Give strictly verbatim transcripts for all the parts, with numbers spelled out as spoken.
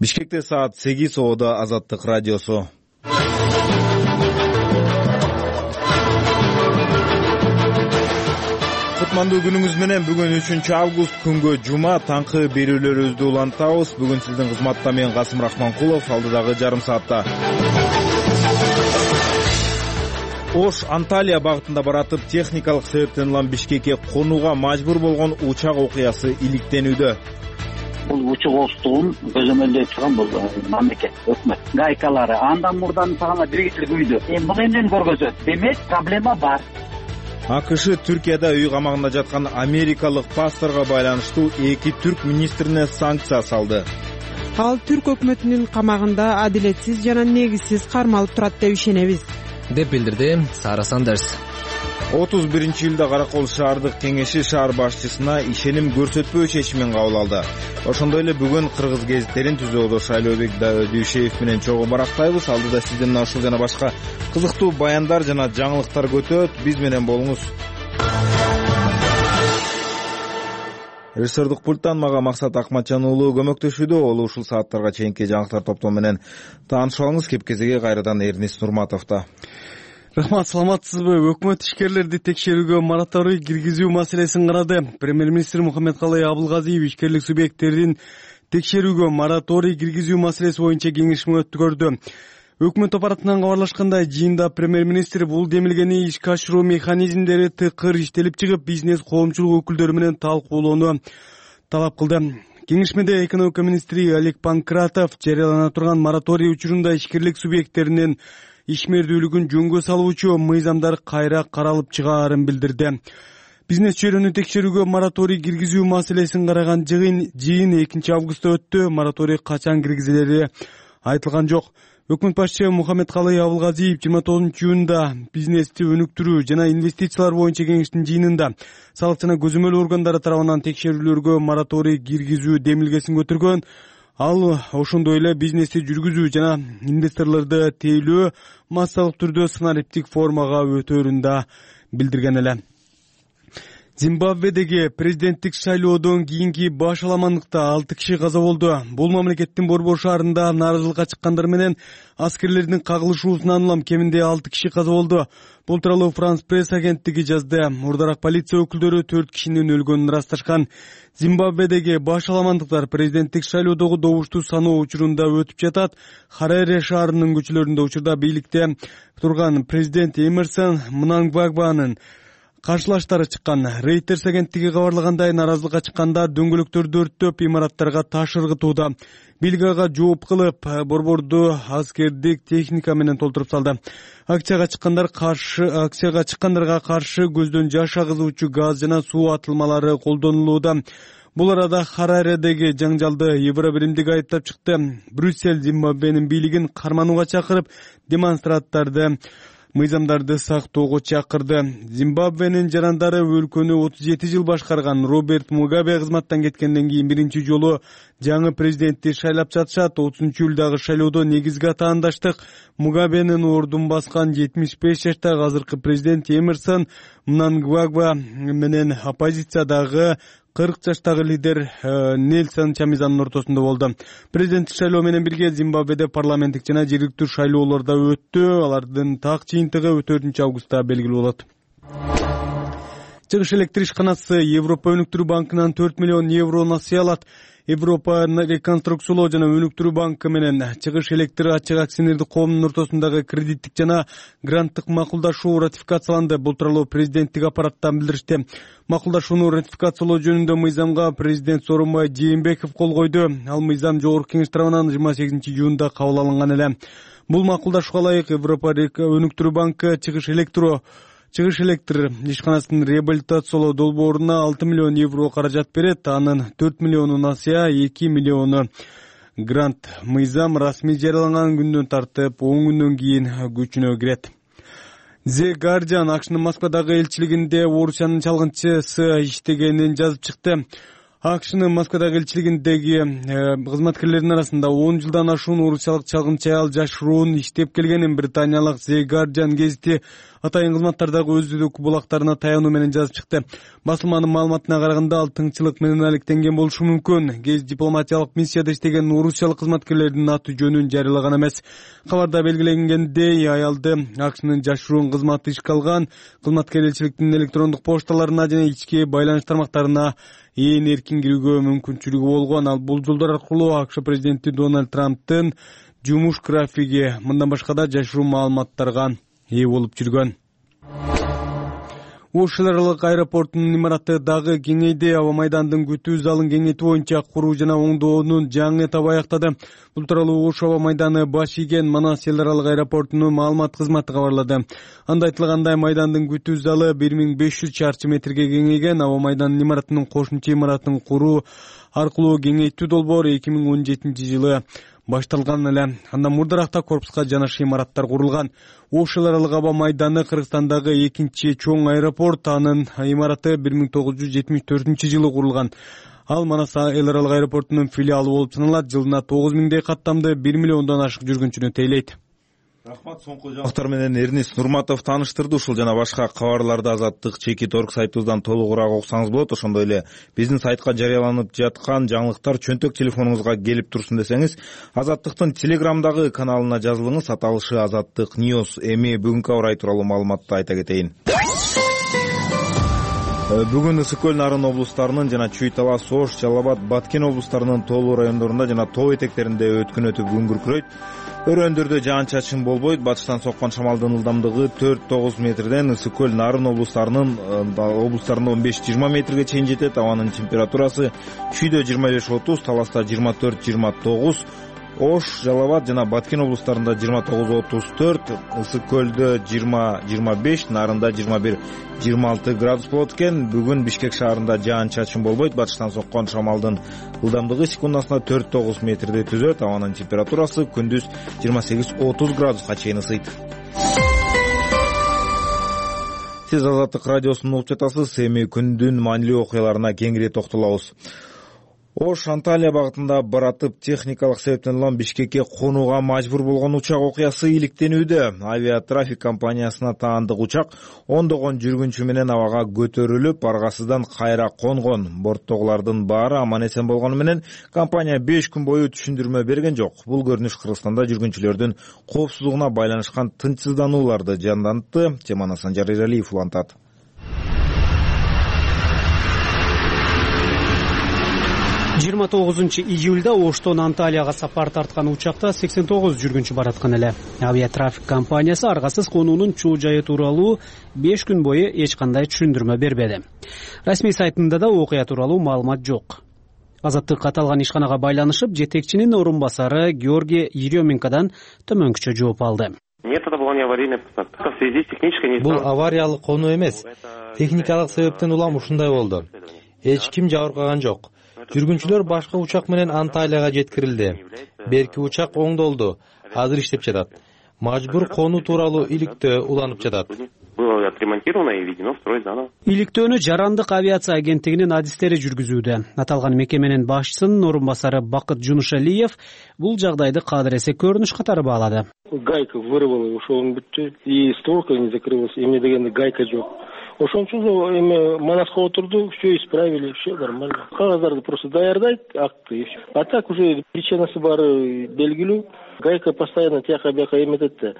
Бишкекте саат сегиз, Оодо Азаттык радиосу. Кутмандуу күнүңүз менен. Бүгүн үчүнчү август күнгө жума, таңкы берүүлөрүбүздү улантабыз. Бүгүн сиздин кызматта мен Касым Рахманкулов, алдыдагы жарым саатта. Ош Анталия багытында баратып, техникалык себептен улам Бишкекке конууга мажбур болгон учак окуясы иликтенүүдө. Бул учак оштугун көзөмөлдөй турган бул мамлекет, өкмөт, гайкалары, андан мурдан сагана двигатель күйдү. Эми бул эмнени көргөзөт? Демек, проблема бар. АКШ Түркияда үй камагында жаткан америкалык пасторго байланыштуу эки түрк министрине санкция салды. Ал түрк өкмөтүнүн камагында адилетсиз жана негизсиз кармалып турат деп ишенебиз, деп билдирди Сара Сандерс. отуз биринчи июлда Каракол шаардык кеңеши шаар башчысына ишеним көрсөтпөө чечимин кабыл алды. Ошондой эле бүгүн кыргыз гезиттерин түзүүдө Шайлообек Дүйшеев менен чогуу барактайбыз. Алдыда сизден ушул жана башка кызыктуу баяндар жана жаңылыктар көтөт. Биз менен болуңуз. Режиссердук пульттан мага Максат Акматжан уулу көмөктөшүүдө. Ол ушул сааттарга чейинки жаңылыктар топтому менен таанышып алыңыз. Кепкезеге кайрадан Эрнис Нурматовда. Рахмат, саламатсызбы? Өкмөт ишкерлерди текшерүүгө мораторий киргизүү маселесин карады. Премьер-министр Мухаммедкалый Абылгазиев ишкерлик субъекттерин текшерүүгө мораторий киргизүү маселеси боюнча кеңешме өткөрдү. Өкмөт аппаратынан кабарлашкандай, жыйында премьер-министр бул демилгени ишке ашыруу механизмдери тыкыр иштелип чыгып, бизнес коомчулук өкүлдөрү менен талкуулоону талап кылды. Кеңешмеде экономика министри Олег Панкратов жарыялана турган мораторий учурунда ишкерлик субъекттеринин ишмердүүлүгүн жөнгө салуучу мыйзамдар кайра каралып чыгаарын билдирди. Бизнес чөйрөнү текшерүүгө мораторий киргизүү маселесин караган жыйын экинчи августта өттү. Мораторий качан киргизилери айтылган жок. Өкмөт башчысы Мухаммедкалый Абылгазиев жыйырма тогузунчу июнда бизнести өнүктүрүү жана инвестициялар боюнча кеңештин жыйынында салык жана көзөмөл органдары тарабынан текшерүүлөргө мораторий киргизүү демилгесин көтөргөн. Ал ошондой эле бизнести жүргүзүү жана инвесторлорду тейлөө массалык түрдө санариптик формага өтөөрүн да билдирген эле. Зимбабведеги президенттик шайлоодон кийинки баш аламандыкта алты киши каза болду. Бул мамлекеттин борбор шаарында нааразылыкка чыккандар менен аскерлердин кагылышуусунан улам кеминде алты киши каза болду. Бул тууралуу Франс пресс агенттиги жазды. Мурдараак полиция өкүлдөрү төрт кишинин өлгөнүн ырасташкан. Зимбабведеги баш аламандыктар президенттик шайлоодогу добушту саноо учурунда өтүп жатат. Хараре шаарынын көчөлөрүндө учурда бийликте турган президент Эмерсон Мнангагванын каршылаштары чыккан. Reuters агенттиги кабарлагандай, нааразылыкка чыккандар дөңгөлөктөрдү өрттөп, имараттарга таш ыргытууда. Бийлик ага жооп кылып, борборду аскердик техника менен толтуруп салды. Акцияга чыккандар каршы акцияга чыккандарга каршы көздөн жаш агызуучу газ жана суу атылмалары колдонулууда. Бул арада Хараредеги жаңжалды Евробиримдик айыптап чыкты. Брюссель Зимбабвенин бийлигин карманууга чакырып, демонстранттарды мыйзамдарды сактоого чакырды. Зимбабвенин жарандары өлкөнү отуз жети жыл башкарган Роберт Мугабе кызматтан кеткенден кийин биринчи жолу жаңы президентти шайлап жатышат. отузунчу июлдагы шайлоодо негизги атаандаштык Мугабенин ордун баскан жетимиш беш жаштагы азыркы президент Эмерсон Мнангагва менен оппозициядагы кырк жаштагы лидер Нельсон Чамизанын ортосунда болду. Президенттик шайлоо менен бирге Зимбабведе парламенттик жана жергиликтүү шайлоолор да өттү. Алардын так жыйынтыгы төртүнчү августта белгилүү болот. Чыгыш электр ишканасы Европа өнүктүрүү банкынан төрт миллион евро насыя алат. Европа реконструкциялоо жана өнүктүрүү банкы менен Чыгыш электр ачык акционердик коомунун ортосундагы кредиттик жана гранттык макулдашуу ратификацияланды. Бул тууралуу президенттик аппараттан билдиришти. Макулдашууну ратификациялоо жөнүндө мыйзамга президент Сооронбай Жээнбеков кол койду. Ал мыйзам жогорку кеңеш тарабынан жыйырма сегизинчи июнда кабыл алынган эле. Бул макулдашууга ылайык Европа өнүктүрүү банкы Чыгыш электро Чыгыш электр ишканасынын реабилитациялоо долбооруна алты миллион евро каражат берет. Анын төрт миллиону насыя, эки миллиону грант. Мыйзам расмий жарыяланган күндөн тартып он күндөн кийин күчүнө кирет. The Guardian АКШнын Москвадагы элчилигинде Орусиянын чалгынчысы иштегенин жазып чыкты. АКШнын Москвадагы элчилигиндеги кызматкерлердин арасында он жылдан ашуун орусиялык чалгынчы аял жашыруун иштеп келгенин британиялык The Guardian гезити атайын кызматтардагы өздүк булактарына таянуу менен жазып чыкты. Басылманын маалыматына караганда ал тыңчылык менен алектенген болушу мүмкүн. Гез дипломатиялык миссияда иштеген орусиялык кызматкерлердин аты жөнүн жарыялаган эмес. Кабарда белгиленгендей, аялды АКШнын жашыруун кызматы ишке алган. Кызматкер элчиликтин электрондук пошталарына жана ички байланыш тармактарына ээн эркин кирүүгө мүмкүнчүлүгү болгон. Ал бул жолдор аркылуу АКШ президенти Дональд Трамптын жумуш графиги, мындан башка да жашыруун маалыматтарга ээ болуп жүргөн. Ош эл аралык аэропортунун имараты дагы кеңейди. Аба майдандын күтүү залын кеңейтүү боюнча куруу жана оңдоонун жаңы этабы аяктады. Бул тууралуу Ош аба майданы баш ийген Манас эл аралык аэропортунун маалымат кызматы кабарлады. Анда айтылгандай, майдандын күтүү залы бир миң беш жүз чарчы метрге кеңейген. Аба майдандын имаратынын кошумча имаратын куруу аркылуу кеңейтүү долбоор эки миң он жетинчи жылы башталган эле. Андан мурдаракта корпуска жанашыр имараттар курулган. Ош эл аралык аба майданы Кыргызстандагы экинчи чоң аэропорт. Анын имараты бир миң тогуз жүз жетимиш төртүнчү жылы курулган. Ал Манас эл аралык аэропортунун филиалы болуп саналат. Жылына тогуз миңдей каттамды бир миллиондон ашык жүргүнчүнү тейлейт. Рахмат. Соңку жаңылыктар менен Эрнис Нурматов тааныштырды. Ушул жана башка кабарларды Азаттык чекит орг сайтыбыздан толугураак окусаңыз болот. Ошондой эле биздин сайтка жарыяланып жаткан жаңылыктар чөнтөк телефонуңузга келип турсун десеңиз, Азаттыктын Телеграмдагы каналына жазылыңыз. Аталышы Азаттык Ньюс. Эми бүгүнкү аба ырайы тууралуу маалыматты айта кетейин. Бүгүн Ысык көл, Нарын облустарынын жана Чүй Талас, Ош, Жалал абад, Баткен облустарынын тоолуу райондорунда жана тоо этектеринде өткүн өтүп күн күркүрөйт. Өрөөндөрдө жаан-чачын болбойт. Батыштан соккон шамалдын ылдамдыгы төрт тогуз метрден Ысык көл, Нарын облустарынын облустарында он беш жыйырма метрге чейин жетет. Абанын температурасы Чүйдө жыйырма беш отуз, Таласта жыйырма төрт жыйырма тогуз, Ош, Жалал абад жана Баткен облустарында жыйырма тогуз отуз төрт, Ысык көлдө жыйырма жыйырма беш, Нарында жыйырма бир жыйырма алты градус болот экен. Бүгүн Бишкек шаарында жаан-чачын болбойт. Батыштан соккон шамалдын ылдамдыгы секундасына төрт тогуз метрди түзөт. Абанын температурасы күндүз жыйырма сегиз отуз градуска чейин ысыйт. Сиз Азаттык радиосун угуп жатасыз. Эми күндүн маанилүү окуяларына кеңири токтолобуз. Ош Анталия багытында баратып техникалык себептен улам Бишкекке конууга мажбур болгон учак окуясы иликтенүүдө. Авиатрафик компаниясына таандык учак ондогон жүргүнчү менен абага көтөрүлүп, аргасыздан кайра конгон. Борттогулардын баары аман эсен болгону менен компания беш күн бою түшүндүрмө берген жок. Бул көрүнүш Кыргызстанда жүргүнчүлөрдүн коопсуздугуна байланышкан тынчсызданууларды жандантты. Теманы Санжар Эралиев улантат. жыйырма тогузунчу июлда Оштон Анталияга сапар тарткан учакта сексен тогуз жүргүнчү бараткан эле. Авиатрафик компаниясы аргасыз конуунун чоо жайы тууралуу беш күн бою эч кандай түшүндүрмө бербеди. Расмий сайтында да окуя тууралуу маалымат жок. Азаттык аталган ишканага байланышып, жетекчинин орун басары Георгий Еременкадан төмөнкүчө жооп алды. Нет, это была не аварийная посадка. В связи с технической Бул авариялык конуу эмес. Техникалык себептен улам ушундай болду. Эч ким жабыркаган жок. Жүргүнчүлөр башка учак менен Анталияга жеткирилди. Берки учак оңдолду. Азыр иштеп жатат. Мажбур конуу тууралуу иликтөө уланып жатат. Было отремонтировано и введено в строй заново. Иликтөөнү Жарандык авиация агенттигинин адистери жүргүзүүдө. Аталган мекеменин башчысынын орун басары Бакыт Жунушалиев бул жагдайды кадыресе көрүнүш катары баалады. Гайка вырвала, ушол бүттү. И створка не закрылась. Эмне дегенде гайка жок. Ошончу эми Манаска отурду, все исправили, все нормально. Кагаздарды просто даярдайт, акты и все. А так уже причинасы баары белгилүү. Гайка постоянно тияка бияка эметет да.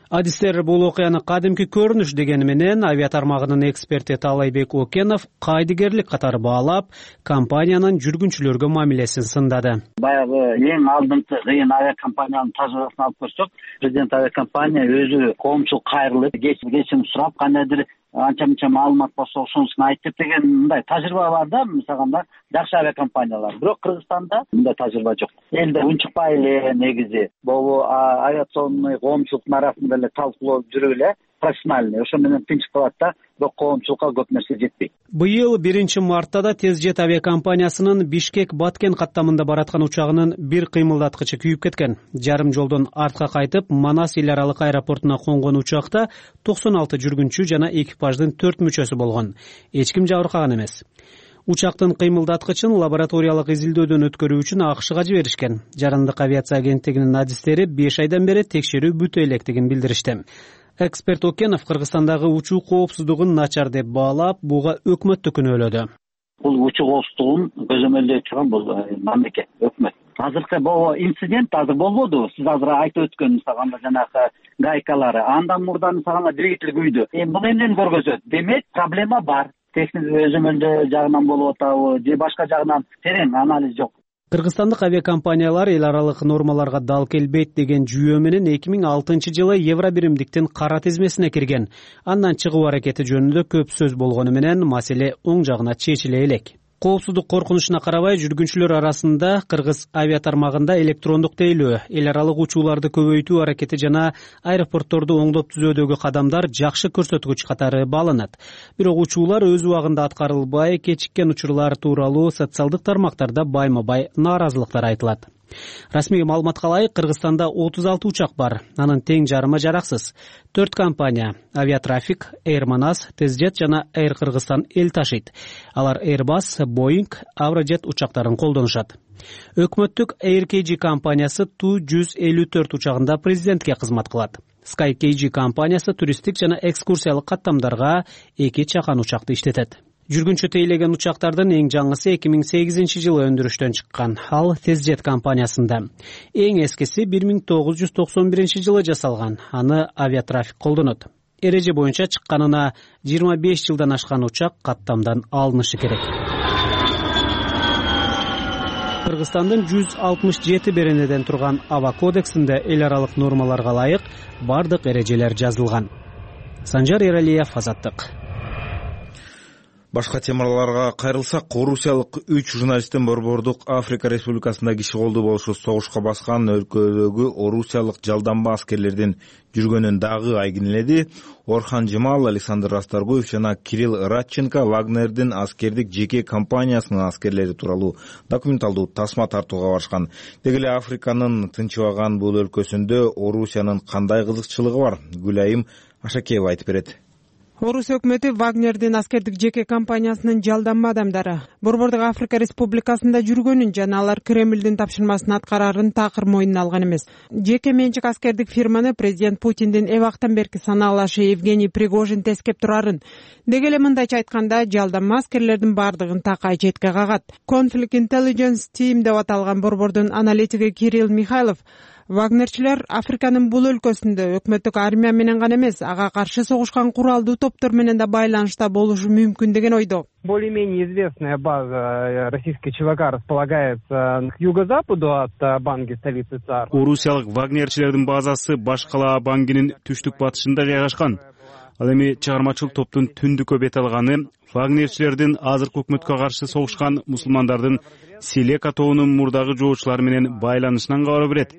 Адистер бул окуяны кадимки көрүнүш дегени менен авиатармагынын эксперти Талайбек Окенов кайдыгерлик катары баалап, компаниянын жүргүнчүлөргө мамилесин сындады. Баягы эң алдыңкы кыйын авиакомпаниянын тажрыйбасын алып көрсөк, президент авиакомпания өзү коомчулукка кайрылып, кечим сурап, кандайдыр анча-мынча маалымат болсо ошонусун айтып деген мындай тажрыйба бар да, мисалга жакшы авиакомпаниялар. Бирок Кыргызстанда мындай тажрыйба жок. Элде унчукпай эле негизи могу авиационный коомчулуктун арасында эле талкуулоо жүрүп эле профессиональный, ошо менен тынчып калат да, бирок коомчулукка көп нерсе жетпейт. Быйыл биринчи мартта да Тез жет авиакомпаниясынын Бишкек-Баткен каттамында бараткан учагынын бир кыймылдаткычы күйүп кеткен. Жарым жолдон артка кайтып, Манас эл аралык аэропортуна конгон учакта токсон алты жүргүнчү жана экипаждын төрт мүчөсү болгон. Эч ким жабыркаган эмес. Учактын кыймылдаткычын лабораториялык изилдөөдөн өткөрүү үчүн АКШга жиберишкен. Жарандык авиация агенттигинин адистери беш айдан бери текшерүү бүтө электигин билдиришти. Эксперт Окенов Кыргызстандагы учуу коопсуздугун начар деп баалап, буга өкмөттү күнөөлөдү. Бул учуу коопсуздугун көзөмөлдөй турган бул мамлекет, өкмөт. Азыркы бул инцидент азыр болбоду. Сиз азыр айтып өткөн мисалга жанагы гайкалары, андан мурда мисалга двигатель күйдү. Эми бул эмнени көргөзөт? Демек, проблема бар. Техник өзөмөлдөө жагынан болуп атабы же башка жагынан терең анализ жок. Кыргызстандык авиакомпаниялар эл аралык нормаларга дал келбейт деген жүйөө менен эки миң алтынчы жылы Евробиримдиктин кара тизмесине кирген. Андан чыгуу аракети жөнүндө көп сөз болгону менен маселе оң жагына чечиле элек. Коопсуздук коркунучуна карабай, жүргүнчүлөр арасында кыргыз авиатармагында электрондук тейлөө, эл аралык учууларды көбөйтүү аракети жана аэропортторду оңдоп түзүүдөгү кадамдар жакшы көрсөткүч катары бааланат. Бирок учуулар өз убагында аткарылбай, кечиккен учурлар тууралуу социалдык тармактарда байма-бай нааразылыктар айтылат. Расмий маалыматка ылайык, Кыргызстанда отуз алты учак бар. Анын тең жарымы жараксыз. Төрт компания — Авиатрафик, Air Manas, Тезжет жана Air Кыргызстан эл ташыйт. Алар Airbus, Boeing, Avrojet учактарын колдонушат. Өкмөттүк Air K G компаниясы Ту жүз элүү төрт учагында президентке кызмат кылат. Sky K G компаниясы туристтик жана экскурсиялык каттамдарга эки чакан учакты иштетет. Жүргүнчү тейлеген учактардын эң жаңысы эки миң сегизинчи жылы өндүрүштөн чыккан. Ал Тезжет компаниясында. Эң эскиси бир миң тогуз жүз токсон биринчи жылы жасалган. Аны Авиатрафик колдонот. Эреже боюнча чыкканына жыйырма беш жылдан ашкан учак каттамдан алынышы керек. Кыргызстандын жүз алтымыш жети беренеден турган Аба кодексинде эл аралык нормаларга ылайык бардык эрежелер жазылган. Санжар Эралиев, Азаттык. Башка темаларга кайрылсак, орусиялык үч журналисттин Борбордук Африка Республикасында киши колду болушу согушка баскан өлкөдөгү орусиялык жалданба аскерлердин жүргөнүн дагы айгинеледи. Орхан Жамал, Александр Расторгуев жана Кирилл Радченко Вагнердин аскердик жеке компаниясынын аскерлери тууралуу документалдуу тасма тартууга барышкан. Деги эле Африканын тынчыбаган бул өлкөсүндө Орусиянын кандай кызыкчылыгы бар? Гүлайым Ашакеева айтып берет. Орусия өкмөтү Вагнердин аскердик жеке компаниясынын жалданма адамдары Борбордук Африка Республикасында жүргөнүн жана алар Кремлдин тапшырмасын аткарарын такыр мойнуна алган эмес. Жеке менчик аскердик фирманы президент Путиндин эбактан берки санаалашы Евгений Пригожин тескеп турарын. Деги эле мындайча айтканда, жалданма аскерлердин бардыгын такай четке кагат. Conflict Intelligence Team деп аталган борбордун аналитиги Кирилл Михайлов Вагнерчилер Африканын бул өлкөсүндө өкмөттүк армия менен гана эмес, ага каршы согушкан куралдуу топтор менен да байланышта болушу мүмкүн деген ойдо. Более-менее известная база российской ЧВК располагается к юго-западу от Банги, столицы ЦАР. Орусиялык Вагнерчилердин базасы баш кала Бангинин түштүк батышында жайгашкан. Ал эми чыгармачыл топтун түндүккө бет алганы Вагнерчилердин азыркы өкмөткө каршы согушкан мусулмандардын Селека тобунун мурдагы жоочулары менен байланышынан кабар берет.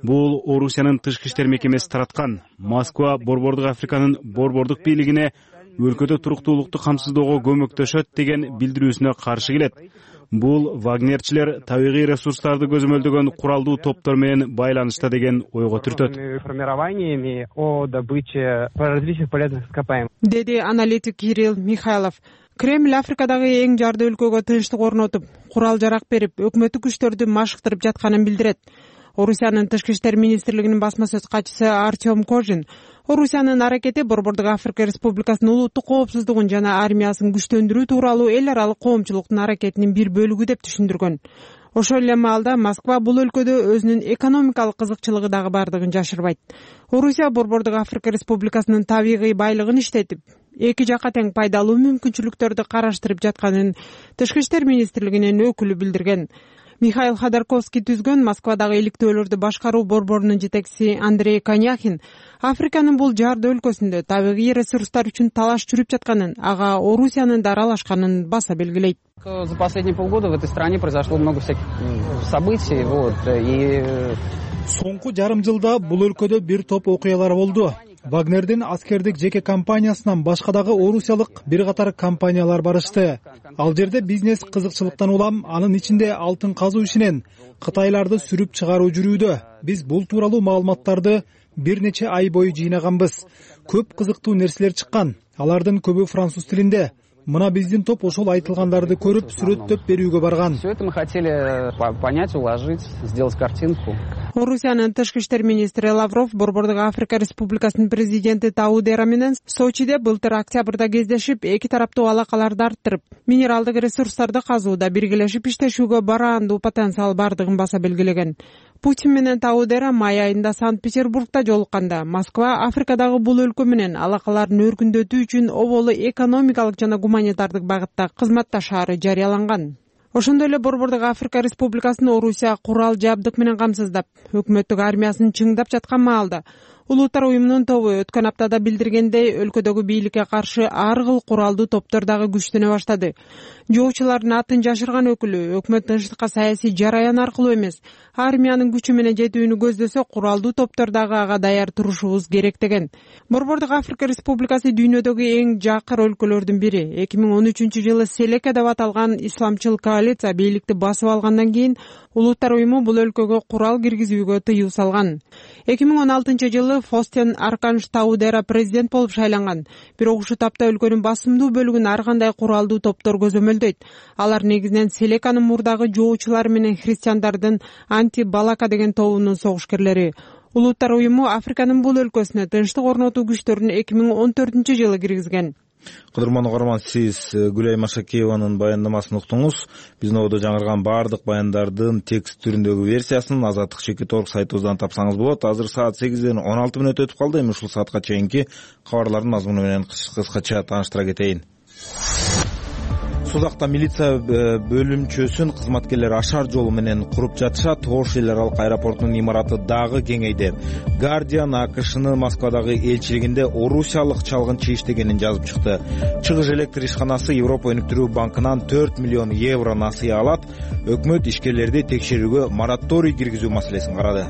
Бул Орусиянын тышкы иштер мекемеси тараткан. Москва Борбордук Африканын борбордук бийлигине өлкөдө туруктуулукту камсыздоого көмөктөшөт деген билдирүүсүнө каршы келет. Бул Вагнерчилер табигый ресурстарды көзөмөлдөгөн куралдуу топтор менен байланышта деген ойго түртөт. Формированиями о добыче различных полезных ископаемых. Деди аналитик Кирилл Михайлов. Кремль Африкадагы эң жарды өлкөгө тынчтык орнотуп, курал жарак берип, өкмөттүк күчтөрдү машыктырып жатканын билдирет. Орусиянын тышкы иштер министрлигинин басма сөз катчысы Артем Кожин Орусиянын аракети Борбордук Африка Республикасынын улуттук коопсуздугун жана армиясын күчтөндүрүү тууралуу эл аралык коомчулуктун аракетинин бир бөлүгү деп түшүндүргөн. Ошол эле маалда Москва бул өлкөдө өзүнүн экономикалык кызыкчылыгы дагы бардыгын жашырбайт. Орусия Борбордук Африка Республикасынын табигый байлыгын иштетип, эки жакка тең пайдалуу мүмкүнчүлүктөрдү караштырып жатканын тышкы иштер министрлигинин өкүлү билдирген. Михаил Ходорковский түзгөн Москвадагы иликтөөлөрдү башкаруу борборунун жетекчиси Андрей Коняхин Африканын бул жарды өлкөсүндө табигый ресурстар үчүн талаш жүрүп жатканын, ага Орусиянын да аралашканын баса белгилейт. За последние полгода в этой стране произошло много всяких событий, вот, и соңку жарым жылда бул өлкөдө бир топ окуялар болду. Вагнердин аскердик жеке компаниясынан башка дагы орусиялык бир катар компаниялар барышты. Ал жерде бизнес кызыкчылыктан улам, анын ичинде алтын казуу ишинен кытайларды сүрүп чыгаруу жүрүүдө. Биз бул тууралуу маалыматтарды бир нече ай бою жыйнаганбыз. Көп кызыктуу нерселер чыккан. Алардын көбү француз тилинде. Мына биздин топ ошол айтылгандарды көрүп, сүрөттөп берүүгө барган. Все это мы хотели понять, уложить, сделать картинку. Орусиянын тышкы иштер министри Лавров Борбордук Африка Республикасынын президенти Таудера менен Сочиде былтыр октябрда кездешип, эки тараптуу алакаларды арттырып, минералдык ресурстарды казууда биргелешип иштешүүгө бараандуу потенциал бардыгын баса белгилеген. Путин менен Таудера май айында Санкт-Петербургда жолукканда Москва Африкадагы бул өлкө менен алакаларын өркүндөтүү үчүн оболу экономикалык жана гуманитардык багытта кызматташаары жарыяланган. Ошондой эле Борбордук Африка Республикасын Орусия курал жабдык менен камсыздап, өкмөттүк армиясын чыңдап жаткан маалда Улуттар уюмунун тобу өткөн аптада билдиргендей, өлкөдөгү бийликке каршы ар кыл куралдуу топтор дагы күчтөнө баштады. Жоочулардын атын жашырган өкүлү өкмөт тынчтыкка саясий жараян аркылуу эмес, армиянын күчү менен жетүүнү көздөсө, куралдуу топтор дагы ага даяр турушубуз керек деген. Борбордук Африка Республикасы дүйнөдөгү эң жакыр өлкөлөрдүн бири. эки миң он үчүнчү жылы Селека деп аталган исламчыл коалиция бийликти басып алгандан кийин Улуттар уюму бул өлкөгө курал киргизүүгө тыюу салган. эки миң он алтынчы жылы Фостен Арканш Таудера президент болуп шайланган. Бирок ушул тапта өлкөнүн басымдуу бөлүгүн ар кандай куралдуу топтор көзөмөлдөйт. Алар негизинен Селеканын мурдагы жоочулары менен христиандардын анти-Балака деген тобунун согушкерлери. Улуттар уюму Африканын бул өлкөсүнө тынчтык орнотуу күчтөрүн эки миң он төртүнчү жылы киргизген. Кыдырман угарман, сиз Гүлай Машакееванын баяндамасын уктуңуз. Биздин ободо жаңырган баардык баяндардын текст түрүндөгү версиясын Азаттык чекит точка орг сайтыбыздан тапсаңыз болот. Азыр саат сегизден он алты мүнөт өтүп калды. Эми ушул саатка чейинки кабарлардын мазмуну менен кыскача тааныштыра кетейин. Сузакта милиция бөлүмчөсүн кызматкерлер ашар жолу менен куруп жатышат. Ош эл аралык аэропортунун имараты дагы кеңейди. Guardian АКШнын Москвадагы элчилигинде орусиялык чалгынчы иштегенин жазып чыкты. Чыгыш электр ишканасы Европа өнүктүрүү банкынан төрт миллион евро насыя алат. Өкмөт ишкерлерди текшерүүгө мораторий киргизүү маселесин карады.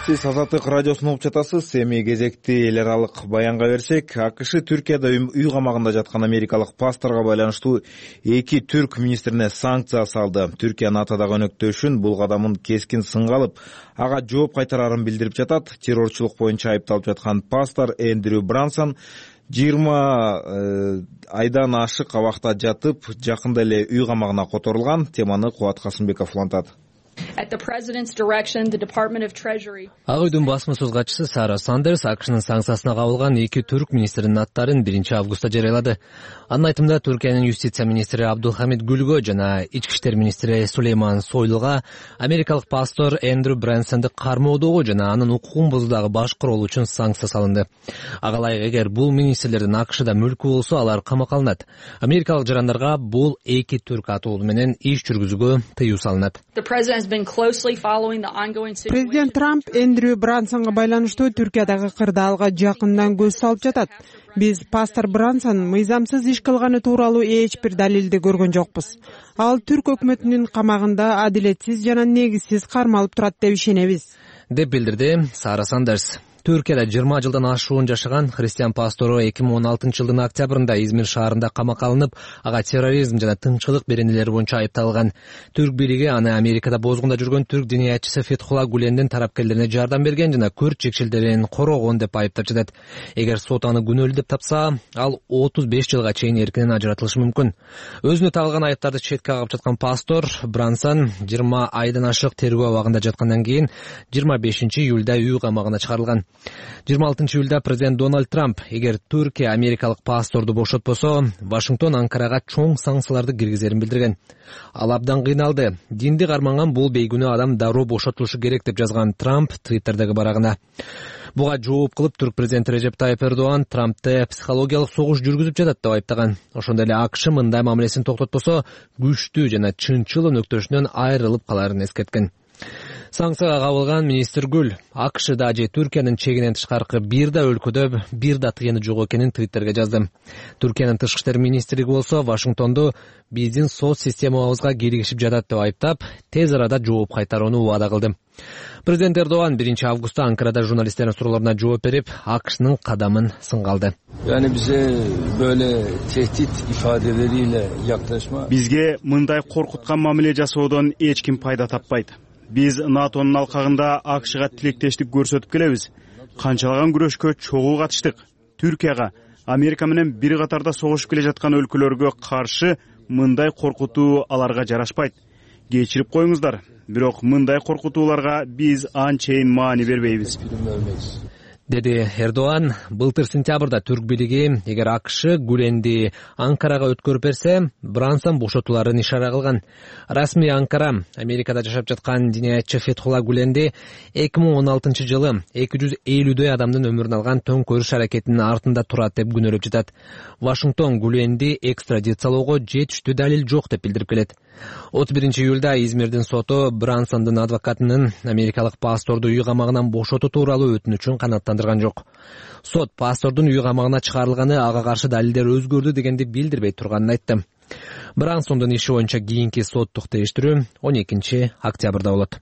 Сиз Азаттык радиосун угуп жатасыз. Эми кезекти эл аралык баянга берсек, АКШ Түркияда үй камагында жаткан америкалык пасторго байланыштуу эки түрк министрине санкция салды. Түркия НАТОдагы өнөктөшүн бул кадамын кескин сынга алып, ага жооп кайтарарын билдирип жатат. Террорчулук боюнча айыпталып жаткан пастор Эндрю Брансон жыйырма айдан ашык абакта жатып, жакында эле үй камагына которулган. Теманы Кубат Касымбеков улантат. Ак үйдүн басма сөз катчысы Сара Сандерс АКШнын санкциясына кабылган эки түрк министринин аттарын биринчи августта жарыялады. Анын айтымында Түркиянын юстиция министри Абдулхамид Гүлгө жана ички иштер министри Сулейман Сойлуга америкалык пастор Эндрю Брэнсонду кармоодогу жана анын укугун бузуудагы баш курол үчүн санкция салынды. Ага ылайык, эгер бул министрлердин АКШда мүлкү болсо, алар камакка алынат. Америкалык жарандарга бул эки түрк атоолу менен иш жүргүзүүгө тыюу салынат. Президент Трамп Эндрю Брансонго байланыштуу Түркиядагы кырдаалга жакындан көз салып жатат. Биз пастор Брансон мыйзамсыз иш кылганы тууралуу эч бир далилди көргөн жокпуз. Ал түрк өкмөтүнүн камагында адилетсиз жана негизсиз кармалып турат деп ишенебиз, деп билдирди Сара Сандерс. Түркияда жыйырма жылдан ашуун жашаган христиан пастору эки миң он алтынчы жылдын октябрында Измир шаарында камакка алынып, ага терроризм жана тынччылык беренелери боюнча айыпталган. Түрк бийлиги аны Америкада бозгунда жүргөн түрк диниятчысы Фетхулла Гулендин тарапкерлерине жардам берген жана көрт жекшелдерин корогон деп айыптап жатат. Эгер сот аны күнөөлүү деп тапса, ал отуз беш жылга чейин эркинен ажыратылышы мүмкүн. Өзүнө тагылган айыптарды четке кагып жаткан пастор Брансон жыйырма айдан ашык тергөө абагында жаткандан кийин жыйырма бешинчи июлда үй камагына чыгарылган. жыйырма алтынчы июлда президент Дональд Трамп эгер Түркия америкалык пасторду бошотпосо, Вашингтон Анкарага чоң санкцияларды киргизерин билдирген. Ал абдан кыйналды. Динди карманган бул бейгүнөө адам дароо бошотулушу керек деп жазган Трамп Твиттердеги барагына. Буга жооп кылып, түрк президенти Режеп Тайып Эрдоган Трампты психологиялык согуш жүргүзүп жатат деп айыптаган. Ошондой эле АКШ мындай мамилесин токтотпосо, күчтүү жана чынчыл өнөктөшүнөн айрылып каларын эскерткен. Санкцияга кабылган министр Гүл АКШда же Түркиянын чегинен тышкаркы бир да өлкөдө бир да тыйыны жок экенин Твиттерге жазды. Түркиянын тышкы иштер министрлиги болсо Вашингтонду биздин соц системабызга киргишип жатат деп айыптап, тез арада жооп кайтарууну убада кылды. Президент Эрдоган биринчи августта Анкарада журналисттердин суроолоруна жооп берип, АКШнын кадамын сынга алды. Yani bize böyle tehdit ifadeleriyle yaklaşma. Бизге мындай коркуткан мамиле жасоодон эч ким пайда таппайт. Биз НАТОнун алкагында АКШга тилектештик көрсөтүп келебиз. Канчалаган күрөшкө чогуу катыштык. Түркияга, Америка менен бир катарда согушуп келе жаткан өлкөлөргө каршы мындай коркутуу аларга жарашпайт. кечирип коюңуздар, бирок мындай коркутууларга биз анчейин маани бербейбиз, деди Эрдоган. Былтыр сентябрда түрк бийлиги эгер АКШ Гүленди Анкарага өткөрүп берсе, Брансон бошотуларын ишара кылган. Расмий Анкара Америкада жашап жаткан диниятчы Фетхулла Гүленди эки миң он алтынчы жылы эки жүз элүүдөй адамдын өмүрүн алган төңкөрүш аракетинин артында турат деп күнөөлөп жатат. Вашингтон Гүленди экстрадициялоого жетиштүү далил жок деп билдирип келет. отуз биринчи июлда Измирдин соту Брансондун адвокатынын америкалык пасторду үй камагынан бошотуу тууралуу өтүнүчүн канааттандырган жок. Сот пастордун үй камагына чыгарылганы ага каршы далилдер өзгөрдү дегенди билдирбей турганын айтты. Брансондун иши боюнча кийинки соттук териштирүү он экинчи октябрда болот.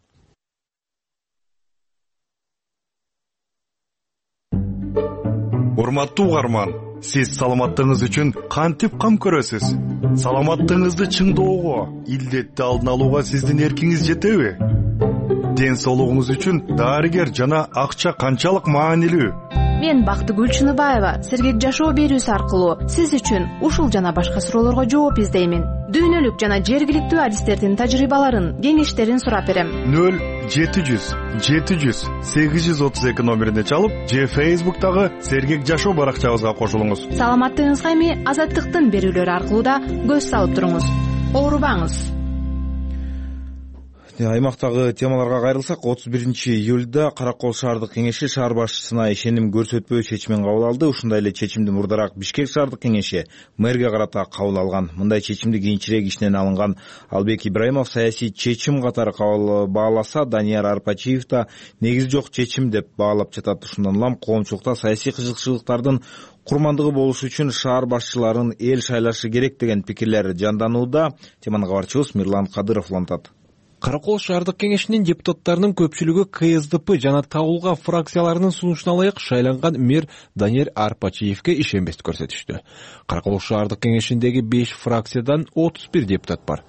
Урматтуу угарман, сиз саламаттыгыңыз үчүн кантип кам көрөсүз? Саламаттыгыңызды чыңдоого, илдетти алдын алууга сиздин эркиңиз жетеби? Ден соолугуңуз үчүн дарыгер жана акча канчалык маанилүү? Мен Бактыгүл Чыныбаева сергек жашоо берүүсү аркылуу сиз үчүн ушул жана башка суроолорго жооп издеймин. Дүйнөлүк жана жергиликтүү адистердин тажрыйбаларын, кеңештерин сурап берем. нөл жети жүз жети жүз сегиз жүз отуз эки номерине чалып, же Facebook'тагы сергек жашоо баракчабызга кошулуңуз. Саламаттыгыңызга эми Азаттыктын берүүлөрү аркылуу да көз салып туруңуз. Оорубаңыз. Аймактагы темаларга кайрылсак, отуз биринчи июлда Каракол шаардык кеңеши шаар башчысына ишеним көрсөтпөө чечимин кабыл алды. Ушундай эле чечимди мурдараак Бишкек шаардык кеңеши мэрге карата кабыл алган. Мындай чечимди кийинчерээк ишинен алынган Албек Ибраимов саясий чечим катары кабыл бааласа, Данияр Арпачиев да негизи жок чечим деп баалап жатат. Ушундан улам коомчулукта саясий кызыкчылыктардын курмандыгы болуш үчүн шаар башчыларын эл шайлашы керек деген пикирлер жанданууда. Теманы кабарчыбыз Мирлан Кадыров улантат. Каракол шаардык кеңешинин депутаттарынын көпчүлүгү КСДП жана табылган фракцияларынын сунушуна ылайык шайланган мэр Данияр Арпачиевке ишенбестик көрсөтүштү. Каракол шаардык кеңешиндеги беш фракциядан отуз бир депутат бар.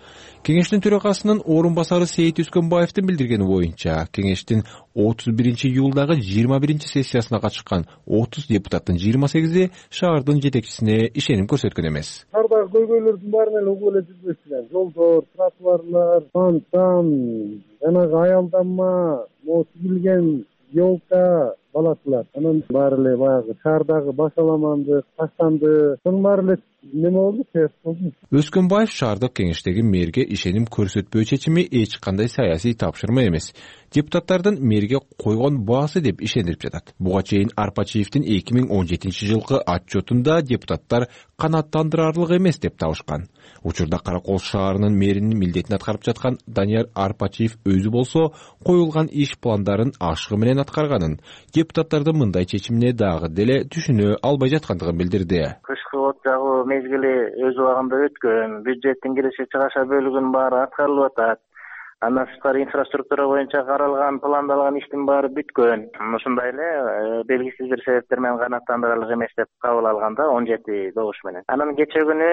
Кеңештин төрагасынын орун басары Сейит Өскөнбаевдин билдиргени боюнча, кеңештин отуз биринчи июлдагы жыйырма биринчи сессиясына катышкан отуз депутаттын жыйырма сегизи шаардын жетекчисине ишеним көрсөткөн эмес. Шаардагы көйгөйлөрдүн баарын эле угуп эле жүрбөйсүздар. Жолдор, тротуарлар, фонтан, жанагы аялдама, могу тигилген елка, баласылар. Анан баары эле баягы шаардагы башаламандык, таштандык, сонун баары эле неме болду, терс болду. Өскөнбаев шаардык кеңештеги мэрге ишеним көрсөтпөө чечими эч кандай саясий тапшырма эмес, депутаттардын мэрге койгон баасы деп ишендирип жатат. Буга чейин Арпачиевдин эки миң он жетинчи жылкы отчетунда депутаттар канааттандырарлык эмес деп табышкан. Учурда Каракол шаарынын мэринин милдетин аткарып жаткан Данияр Арпачиев өзү болсо коюлган иш пландарын ашыгы менен аткарганын, депутаттардын мындай чечимине дагы деле түшүнө албай жаткандыгын билдирди. Кышкы от жагуу мезгили өз убагында өткөн, бюджеттин киреше чыгаша бөлүгүнүн баары аткарылып атат. Андан сырткары инфраструктура боюнча каралган, пландалган иштин баары бүткөн. Ушундай эле белгисиз бир себептер менен канааттандырарлык эмес деп кабыл алганда он жети добуш менен. Анан кечээ күнү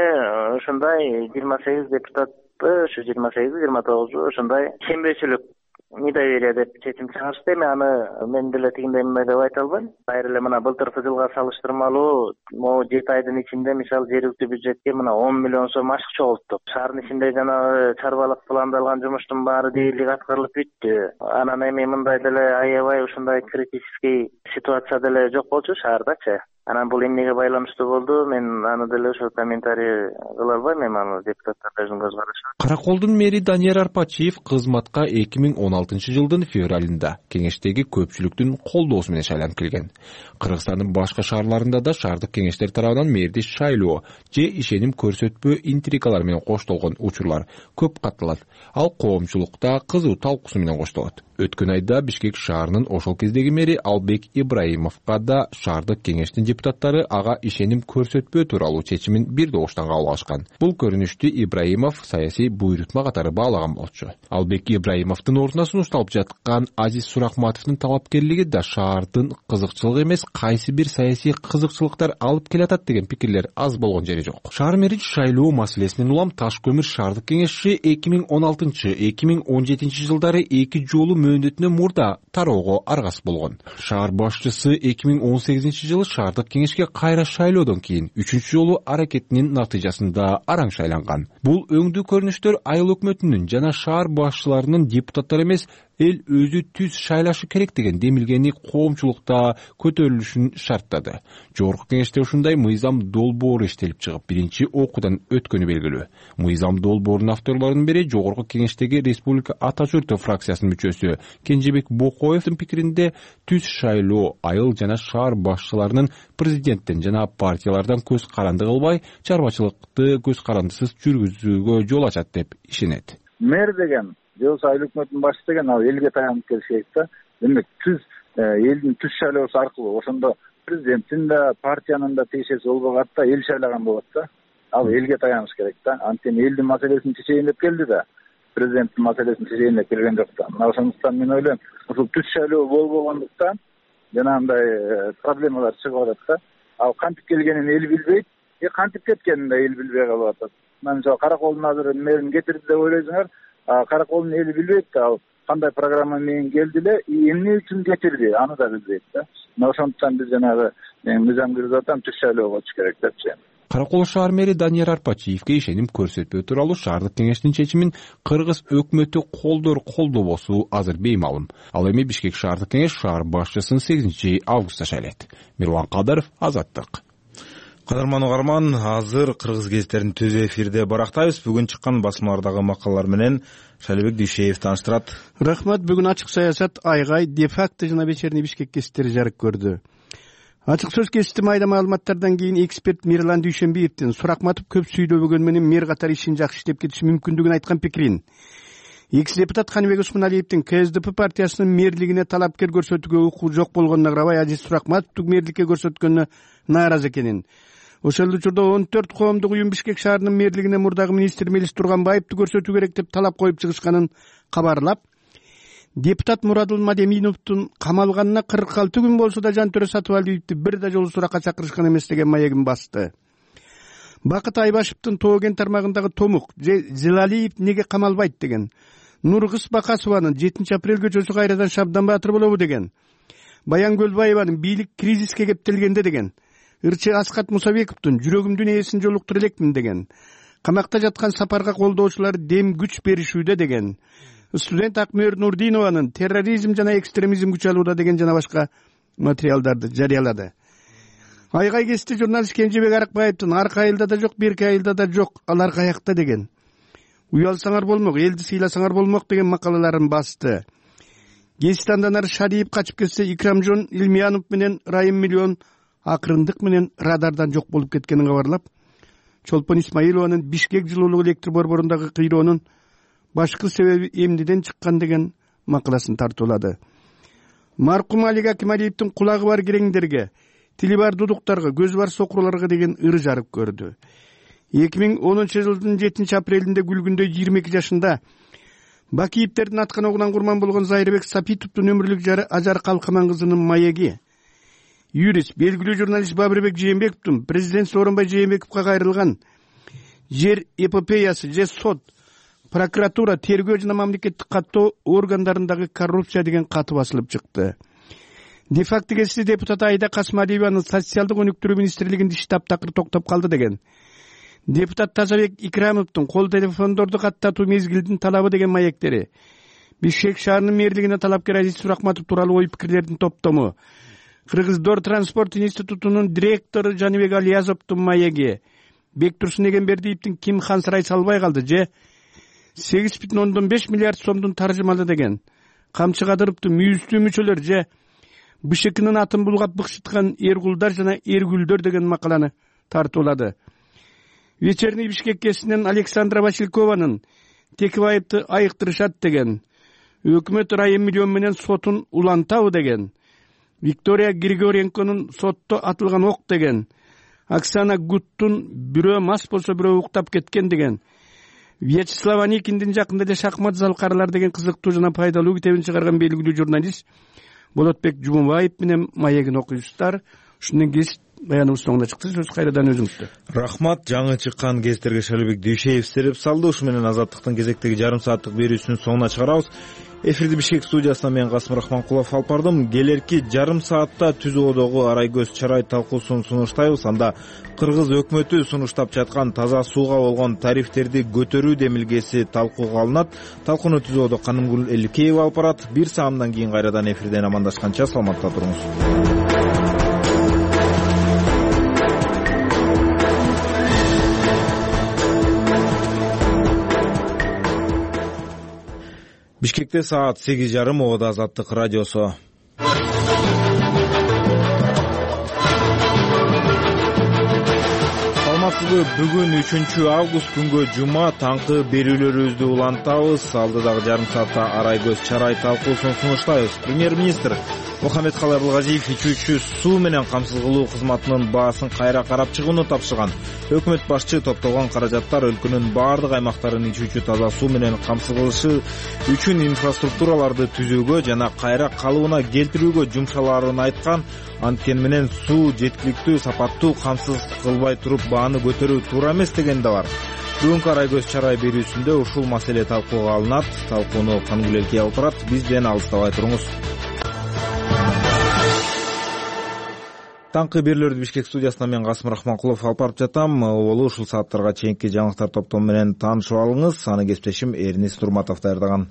ушундай жыйырма сегиз депутатты, ушу жыйырма сегизи жыйырма тогузу ушундай ишенбөөчүлүк недоверие деп чечим чыгарышты. Эми аны мен деле тигиндей мындай деп айта албайм. Кайра эле мына былтыркы жылга салыштырмалуу могу жети айдын ичинде мисалы жергиликтүү бюджетке мына он миллион сом ашык чогулттук. Шаардын ичинде жанагы чарбалык пландалган жумуштун баары дээрлик аткарылып бүттү. Анан эми мындай деле аябай ушундай критический ситуация деле жок болчу шаардачы. Анан бул эмнеге байланыштуу болду? Мен аны деле ошо комментарий кыла албайм, эми аны депутаттар өзүнүн көз карашы. Караколдун мэри Данияр Арпачиев кызматка эки миң он алтынчы жылдын февралында кеңештеги көпчүлүктүн колдоосу менен шайланып келген. Кыргызстандын башка шаарларында да шаардык кеңештер тарабынан мэрди шайлоо же ишеним көрсөтпөө интригалар менен коштолгон учурлар көп катталат. Ал коомчулукта кызуу талкуусу менен коштолот. Өткөн айда Бишкек шаарынын ошол кездеги мэри Албек Ибраимовго да шаардык кеңештин депутаттары ага ишеним көрсөтпөө тууралуу чечимин бир добуштан кабыл алышкан. Бул көрүнүштү Ибраимов саясий буйрутма катары баалаган болчу. Албек Ибраимовдун ордуна сунушталып жаткан Азиз Суракматовдун талапкерлиги да шаардын кызыкчылыгы эмес, кайсы бир саясий кызыкчылыктар алып келатат деген пикирлер аз болгон жери жок. Шаар мэрин шайлоо маселесинен улам Таш көмүр шаардык кеңеши эки миң он алтынчы эки миң он жетинчи жылдары эки жолу мөөнөтүнөн мурда тароого аргасыз болгон. Шаар башчысы эки миң он сегизинчи жылы шаардык кеңешке кайра шайлоодон кийин үчүнчү жолу аракетинин натыйжасында араң шайланган. Бул өңдүү көрүнүштөр айыл өкмөтүнүн жана шаар башчыларынын депутаттар эмес, эл өзү түз шайлашы керек деген демилгени коомчулукта көтөрүлүшүн шарттады. Жогорку кеңеште ушундай мыйзам долбоору иштелип чыгып, биринчи окуудан өткөнү белгилүү. Мыйзам долбоорунун авторлорунун бири жогорку кеңештеги Республика Ата Чуртов фракциясынын мүчөсү Кенжебек Бокоевдин пикиринде түз шайлоо айыл жана шаар башчыларынын президенттен жана партиялардан көз каранды кылбай, чарбачылыкты көз карандысыз жүргүзүүгө жол ачат деп ишенет. Мэр деген же болбосо айыл өкмөтүнүн башчысы деген ал элге таянып келиш керек да. Демек түз элдин түз шайлоосу аркылуу ошондо президенттин да партиянын да тиешеси болбогат да, эл шайлаган болот да. Ал элге таяныш керек да. Анткени элдин маселесин чечейин деп келди да, президенттин маселесин чечейин деп келген жок да. Мына ошондуктан мен ойлойм, ушул түз шайлоо болбогондуктан жанагындай проблемалар чыгып атат да. Ал кантип келгенин эл билбейт, э кантип кеткенин да эл билбей калып атат. Мына мисалы Караколдун азыр мэрин кетирди деп ойлойсуңар, Караколдун эли билбейт да, ал кандай программа менен келди эле, эмне үчүн кетирди, аны да билбейт да. Мына ошондуктан биз жанагы мыйзам киргизип атам, түз шайлоо болуш керек деп чейм. Каракол шаар мэри Данияр Арпачиевке ишеним көрсөтпөө тууралуу шаардык кеңештин чечимин кыргыз өкмөтү колдоор колдобосу азыр беймалым. Ал эми Бишкек шаардык кеңеш шаар башчысын сегизинчи августта шайлайт. Мирлан Кадыров, Азаттык. Кадырман угарман, азыр кыргыз гезиттерин түз эфирде барактайбыз. Бүгүн чыккан басмалардагы макалалар менен Шайлообек Дүйшеев тааныштырат. Рахмат. Бүгүн ачык саясат, Айгай, де-факто жана вечерний Бишкек гезиттери жарык көрдү. Ачык сөз гезити майда маалыматтардан кийин эксперт Мирлан Дүйшенбиевдин Суракматов көп сүйлөбөгөн менен мэр катары ишин жакшы иштеп кетиши мүмкүндүгүн айткан пикирин, экс депутат Каныбек Усмуналиевдин Ка Эс Ди Пи партиясынын мэрлигине талапкер көрсөтүүгө укугу жок болгонуна карабай Азиз Суракматовду мэрликке көрсөткөнүнө нааразы экенин, ошол учурда он төрт коомдук уюм Бишкек шаарынын мэрлигине мурдагы министр Мелис Турганбаевду көрсөтүү керек деп талап коюп чыгышканын кабарлап, депутат Мурадул Мадеминовдун камалганына кырк алты күн болсо да Жантөрө Сатыбалиевди бир да жолу суракка чакырышкан эмес деген маегин басты. Бакыт Айбашевдин Тооген тармагындагы Томук же Зелалиев неге камалбайт деген, Нургыз Бакасованын жетинчи апрель көчөсү кайрадан Шабдан Баатыр болобу деген, Баян Көлбаеванын бийлик кризиске кептелгенде деген, Ырчы Аскат Мусабековдун жүрөгүмдүн ээсин жолуктура элекмин деген, камакта жаткан Сапарга колдоочулар дем күч беришүүдө деген, студент Акмөр Нурдинованын терроризм жана экстремизм күч алууда деген жана башка материалдарды жарыялады. Айгай гезити журналист Кенжебек Аракбаевдин аркы айылда да жок, берки айылда да жок, алар каякта деген, уялсаңар болмок, элди сыйласаңар болмок деген макалаларын басты. Гезит андан ары Шадиев качып кетсе, Икрамжон Илмиянов менен Райым Миллион акырындык менен радардан жок болуп кеткенин кабарлап, Чолпон Исмаилованын Бишкек жылуулук электр борборундагы кыйроонун башкы себеби эмнеден чыккан деген макаласын тартуулады. Маркум Алик Акималиевдин кулагы бар киреңдерге, тили бар дудуктарга, көзү бар сокурларга деген ыры жарык көрдү. эки миң онунчу жылдын жетинчи апрелинде күлгүндө жыйырма эки жашында Бакиевдердин аткан огунан курман болгон Зайрабек Сапитовдун өмүрлүк жары Ажар Калкаман кызынын маеги, юрист, белгилүү журналист Бабырбек Жээнбековдун президент Сооронбай Жээнбековго кайрылган жер эпопеясы же сот, прокуратура, тергөө жана мамлекеттик каттоо органдарындагы коррупция деген каты басылып чыкты. Де-факто гезити депутат Айда Касмалиеванын социалдык өнүктүрүү министрлигинде иш таптакыр токтоп калды деген, депутат Тазабек Икрамовдун кол телефондорду каттатуу мезгилдин талабы деген маектери, Бишкек шаарынын мэрлигине талапкер Азиз Суракматов тууралуу ой пикирлердин топтому, Кыргыз Дор транспорт институтунун директору Жаныбек Алиязовдун маеги, Бектурсун Эгембердиевдин Ким Хан Сарай салбай калды же сегиз бүтүн ондон беш миллиард сомдун таржымалы деген, Камчы Кадыровдун мүйүздүү мүчөлөр же Б Ш Кнын атын булгап быкшыткан Эргулдар жана Эргүлдөр деген макаланы тартуулады. Вечерний Бишкек гезитинен Александра Василькованын Текебаевди айыктырышат деген, өкмөт Райым Миллион менен сотун улантабы деген, Виктория Григоренконун сотто атылган ок деген, Оксана Гуттун бирөө мас болсо бирөө уктап кеткен деген, Вячеслав Аникиндин жакында эле шахмат залкарлар деген кызыктуу жана пайдалуу китебин чыгарган белгилүү журналист Болотбек Жумабаев менен маегин окуйсуздар. Ушунун гезит баяныбыз соңуна чыкты. Сөз кайрадан өзүңүздө. Рахмат. Жаңы чыккан гезиттерге Шайлообек Дүйшеев сереп салды. Ушу менен Азаттыктын кезектеги жарым сааттык берүүсүнүн соңуна чыгарабыз. Эфирди Бишкек студиясынан мен Касым Рахманкулов алып бардым. Келерки жарым саатта түз оодогу арай көз чарай талкуусун сунуштайбыз. Анда Кыргыз өкмөтү сунуштап жаткан таза сууга болгон тарифтерди көтөрүү демилгеси талкууга алынат. Талкууну түз оодо Канымгүл Эликеева алып барат. Бир саамдан кийин кайрадан эфирден амандашканча саламатта туруңуз. Бишкекте саат сегиз жарым. Оодо Азаттык радиосу. Саламатсызбы? Бүгүн үчүнчү август күнгө жума таңкы берүүлөрүбүздү улантабыз. Алдыдагы жарым саатта арай көз чарай талкуусун сунуштайбыз. Премьер-министр Мухаммедкалый Абылгазиев ичүүчү суу менен камсыз кылуу кызматынын баасын кайра карап чыгууну тапшырган. Өкмөт башчы топтолгон каражаттар өлкөнүн баардык аймактарын ичүүчү таза суу менен камсыз кылышы үчүн инфраструктураларды түзүүгө жана кайра калыбына келтирүүгө жумшалаарын айткан. Анткени менен суу жеткиликтүү, сапаттуу камсыз кылбай туруп бааны көтөрүү туура эмес деген да бар. Бүгүнкү арай көз чарай берүүсүндө ушул маселе талкууга алынат. Талкууну Канымгүл Эликеева алып барат. Бизден алыстабай туруңуз. Таңкы берүүлөрдү Бишкек студиясынан мен Касым Рахманкулов алып барып жатам. Болу ушул сааттарга чейинки жаңылыктар топтому менен таанышып алыңыз. Аны кесиптешим Эрнис Турматов даярдаган.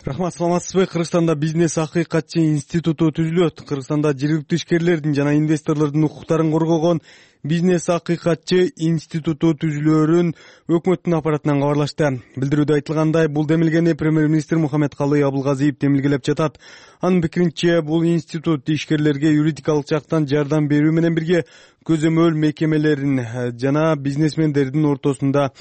Рахмат, саламатсызбы? Кыргызстанда бизнес акыйкатчы институту түзүлөт. Кыргызстанда жергиликтүү ишкерлердин жана инвесторлордун укуктарын коргогон бизнес акыйкатчы институту түзүлөөрүн өкмөттүн аппаратынан кабарлашты. Билдирүүдө айтылгандай, бул демилгени премьер-министр Мухаммедкалый Абылгазиев демилгелеп жатат. Анын пикиринче, бул институт ишкерлерге юридикалык жактан жардам берүү менен бирге көзөмөл мекемелерин жана бизнесмендердин ортосунда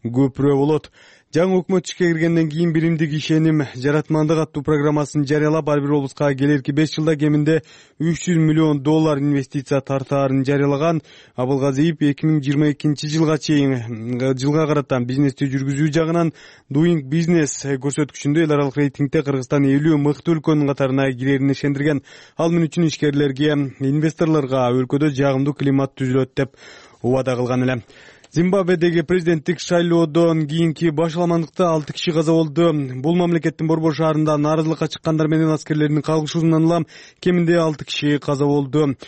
көпүрө болот. Жаңы өкмөт ишке киргенден кийин биримдик ишеним жаратмандык аттуу программасын жарыялап, ар бир облуска келерки беш жылда кеминде үч жүз миллион доллар инвестиция тартаарын жарыялаган. Абылгазиев эки миң жыйырма экинчи жылга чейин жылга карата бизнести жүргүзүү жагынан Doing Business көрсөткүчүндө эл аралык рейтингде Кыргызстан элүү мыкты өлкөнүн катарына кирерин ишендирген. Ал мен үчүн ишкерлерге, инвесторлорго өлкөдө жагымдуу климат түзүлөт деп убада кылган эле. Зимбабведеги президенттик шайлоодон кийинки башаламандыкта алты киши каза болду. Бул мамлекеттин борбор шаарында нааразылыкка чыккандар менен аскерлердин кагылышуусунан улам кеминде алты киши каза болду.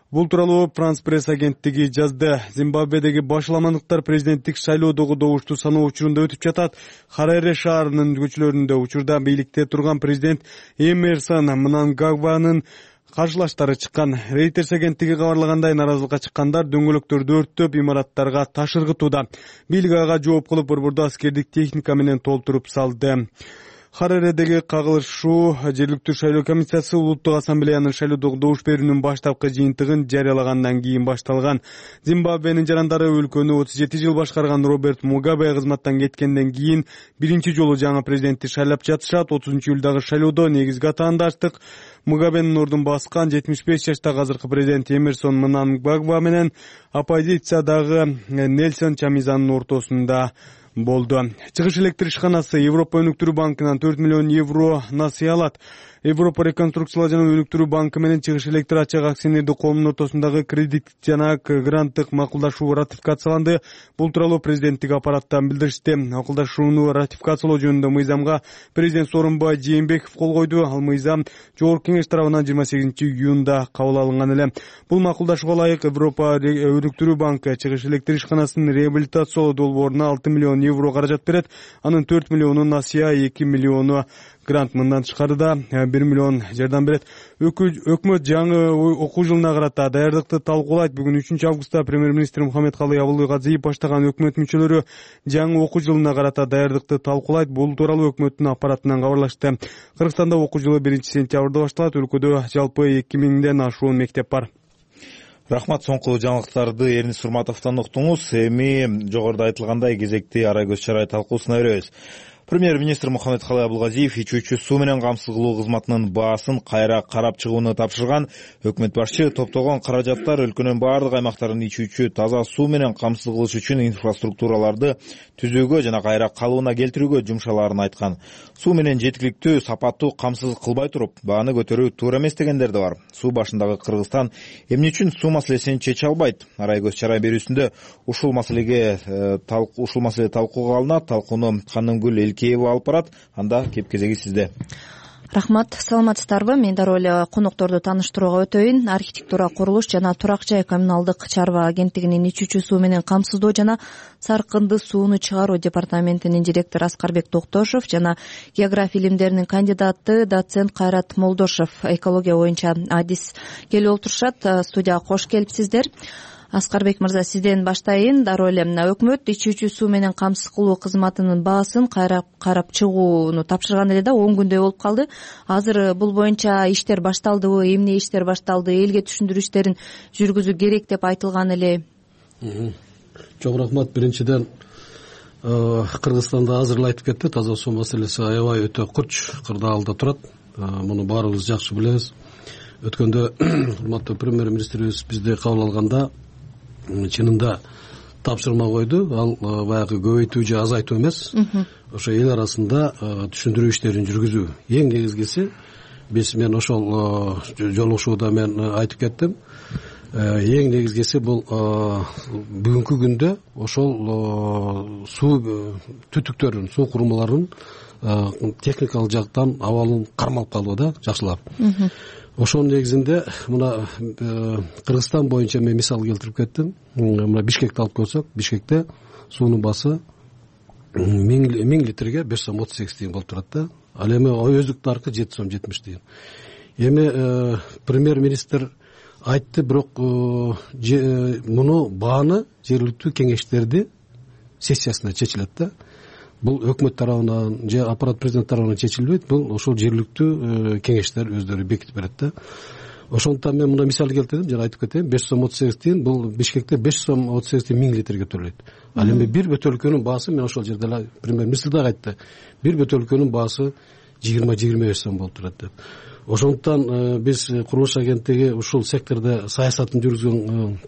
Бул тууралуу Франс пресс агенттиги жазды. Зимбабведеги башаламандыктар президенттик шайлоодогу добушту саноо учурунда өтүп жатат. Хараре шаарынын көчөлөрүндө учурда бийликте турган президент Эмерсон Мнангагванын каршылаштары чыккан. Reuters агенттиги кабарлагандай, нааразылыкка чыккандар дөңгөлөктөрдү өрттөп, имараттарга таш ыргытууда. Бийлик ага жооп кылып, борборду аскердик техника менен толтуруп салды. Хараредеги кагылышуу жергиликтүү шайлоо комиссиясы улуттук ассамблеянын шайлоодогу добуш берүүнүн баштапкы жыйынтыгын жарыялагандан кийин башталган. Зимбабвенин жарандары өлкөнү отуз жети жыл башкарган Роберт Мугабе кызматтан кеткенден кийин биринчи жолу жаңы президентти шайлап жатышат. отузунчу июлдагы шайлоодо негизги атаандаштык Мугабенин ордун баскан жетимиш беш жаштагы азыркы президент Эмерсон Мнангагва менен оппозициядагы Нельсон Чамизанын ортосунда болду. Чыгыш электр ишканасы Европа өнүктүрүү банкынан төрт миллион евро насыя алат. Европа реконструкциялоо жана өнүктүрүү банкы менен Чыгыш электр ачык акционердик коомунун ортосундагы кредит жана гранттык макулдашуу ратификацияланды. Бул тууралуу президенттик аппараттан билдиришти. Макулдашууну ратификациялоо жөнүндө мыйзамга президент Сооронбай Жээнбеков кол койду. Ал мыйзам Жогорку кеңеш тарабынан жыйырма сегизинчи июнда кабыл алынган эле. Бул макулдашууга ылайык Европа өнүктүрүү банкы Чыгыш электр ишканасын реабилитациялоо долбооруна алты миллион евро каражат берет. Анын төрт миллиону насыя, эки миллиону грант. Мындан тышкары да бир миллион жардам берет. Өкмөт жаңы окуу жылына карата даярдыкты талкуулайт. Бүгүн үчүнчү августта премьер-министр Мухаммедкалый Абылгазиев баштаган өкмөт мүчөлөрү жаңы окуу жылына карата даярдыкты талкуулайт. Бул тууралуу өкмөттүн аппаратынан кабарлашты. Кыргызстанда окуу жылы биринчи сентябрда башталат. Өлкөдө жалпы эки миңден ашуун мектеп бар. Рахмат, соңку жаңылыктарды Эрнис Турматовдон уктуңуз. Эми жогоруда айтылгандай кезекти арай көз чарай талкуусуна өрөбүз. Премьер-министр Мухаммедкалый Абылгазиев ичүүчү суу менен камсыз кылуу кызматынын баасын кайра карап чыгууну тапшырган. Өкмөт башчы топтогон каражаттар өлкөнүн баардык аймактарын ичүүчү таза суу менен камсыз кылыш үчүн инфраструктураларды түзүүгө жана кайра калыбына келтирүүгө жумшалаарын айткан. Суу менен жеткиликтүү, сапаттуу камсыз кылбай туруп, бааны көтөрүү туура эмес дегендер да бар. Суу башындагы Кыргызстан эмне үчүн суу маселесин чече албайт? Арай көз чарай берүүсүндө ушул маселеге ушул маселе талкууга алынат. Талкууну Канымгүл Элкеева алып барат. Анда кеп кезеги сизде. Рахмат, саламатсыздарбы? Мен дароо эле конокторду тааныштырууга өтөйүн. Архитектура, курулуш жана турак жай коммуналдык чарба агенттигинин ичүүчү суу менен камсыздоо жана саркынды сууну чыгаруу департаментинин директору Аскарбек Токтошов жана география илимдеринин кандидаты доцент Кайрат Молдошев экология боюнча адис келип отурушат. Студияга кош келипсиздер. Аскарбек мырза, сизден баштайын. Дароо эле өкмөт ичүүчү суу менен камсыз кылуу кызматынын баасын кайра карап чыгууну тапшырган эле да, он күндөй болуп калды. Азыр бул боюнча иштер башталдыбы, эмне иштер башталды, элге түшүндүрүү иштерин жүргүзүү керек деп айтылган эле. Чоң рахмат. Биринчиден, Кыргызстанда азыр эле айтып кетти, таза суу маселеси аябай өтө курч кырдаалда турат. Муну баарыбыз жакшы билебиз. Өткөндө урматтуу премьер-министрибиз бизди кабыл алганда чынында тапшырма койду. Ал баягы көбөйтүү же азайтуу эмес, ошо эл арасында түшүндүрүү иштерин жүргүзүү. Эң негизгиси, биз мен ошол жолугушууда мен айтып кеттим. Эң негизгиси бул бүгүнкү күндө ошол суу түтүктөрүн, суу курулмаларынын техникалык жактан абалын кармалып калуу да, жакшылап. Ошонун негизинде мына Кыргызстан боюнча мен мисал келтирип кеттим. Мына Бишкекти алып көрсөк, Бишкекте суунун баасы миң литрге беш сом отуз сегиз тыйын болуп турат да. Ал эми өздүк наркы жети сом жетимиш тыйын. Эми премьер-министр айтты, бирок муну бааны жергиликтүү кеңештерди сессиясында чечилет да. Бул өкмөт тарабынан же аппарат президент тарабынан чечилбейт, бул ошол жергиликтүү кеңештер өздөрү бекитип берет да. Ошондуктан мен мына мисал келтирдим, жана айтып кетейин, беш сом отуз сегиз тыйын, бул Бишкекте беш сом отуз сегиз тыйын миң литрге төлөйт. Ал эми бир бөтөлкөнүн баасы, мен ошол жерде эле премьер-министр да айтты, бир бөтөлкөнүн баасы жыйырма жыйырма беш сом болуп турат деп. Ошондуктан биз курулуш агенттиги ушул сектордо саясатын жүргүзгөн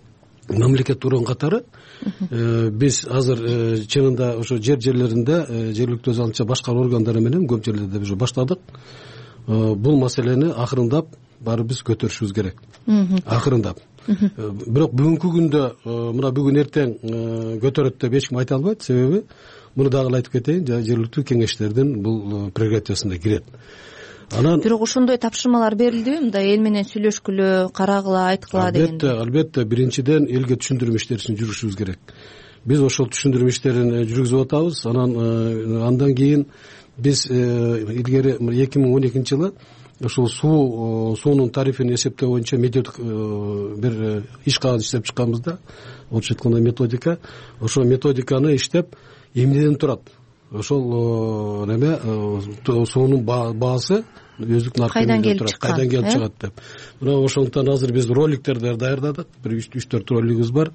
мамлекет турган катары биз азыр чынында ошо жер жерлеринде жергиликтүү өз алдынча башкаруу органдары менен көп жерлерде уже баштадык. Бул маселени акырындап баары биз көтөрүшүбүз керек. Акырындап. Бирок бүгүнкү күндө мына бүгүн эртең көтөрөт деп эч ким айта албайт, себеби муну дагы айтып кетейин, жергиликтүү кеңештердин бул прерогативасына кирет. Анан бирок ошондой тапшырмалар берилдиби? Мындай эл менен сүйлөшкүлө, карагыла, айткыла деген. Албетте, албетте, биринчиден элге түшүндүрүү иштерин жүргүзүшүбүз керек. Биз ошол түшүндүрүү иштерин жүргүзүп атабыз. Анан андан кийин биз илгери эки миң он экинчи жылы ошол суу суунун тарифин эсептөө боюнча методик бир иш кагаз иштеп чыкканбыз да. Орусча айтканда методика. Ошол методиканы иштеп эмнеден турат? Ошол неме суунун баасы өздүк наркы кайдан келип чыккан, кайдан келип чыгат деп. Мына ошондуктан азыр биз роликтерди даярдадык. Бир үч төрт ролигибиз бар.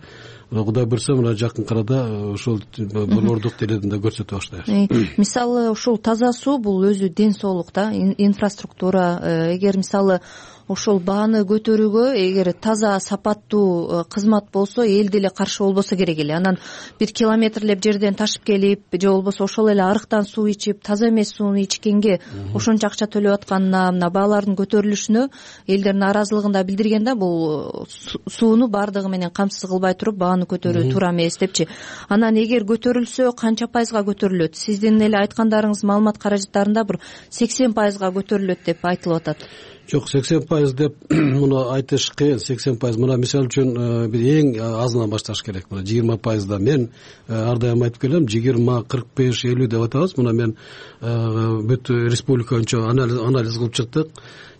Кудай буйрса, мына жакын арада ошол болордук телединде көрсөтө баштайбыз. Мисалы ушул таза суу бул өзү ден соолук да, инфраструктура. Эгер мисалы ошол бааны көтөрүүгө эгер таза сапаттуу кызмат болсо, эл деле каршы болбосо керек эле. Анан бир километрлеп жерден ташып келип, же болбосо ошол эле арыктан суу ичип, таза эмес сууну ичкенге ошончо акча төлөп атканына, мына баалардын көтөрүлүшүнө элдер нааразылыгын да билдирген да. Бул сууну баардыгы менен камсыз кылбай туруп бааны көтөрүү туура эмес депчи. Анан эгер көтөрүлсө, канча пайызга көтөрүлөт? Сиздин эле айткандарыңыз маалымат каражаттарында бир сексен пайызга көтөрүлөт деп айтылып атат. Жок, сексен пайыз деп муну айтыш кыйын. сексен пайыз мына мисал үчүн бир эң азынан башташ керек. Мына жыйырма пайызда мен ар дайым айтып келем, жыйырма, кырк беш, элүү деп атабыз. Мына мен бүт республика боюнча анализ кылып чыктык.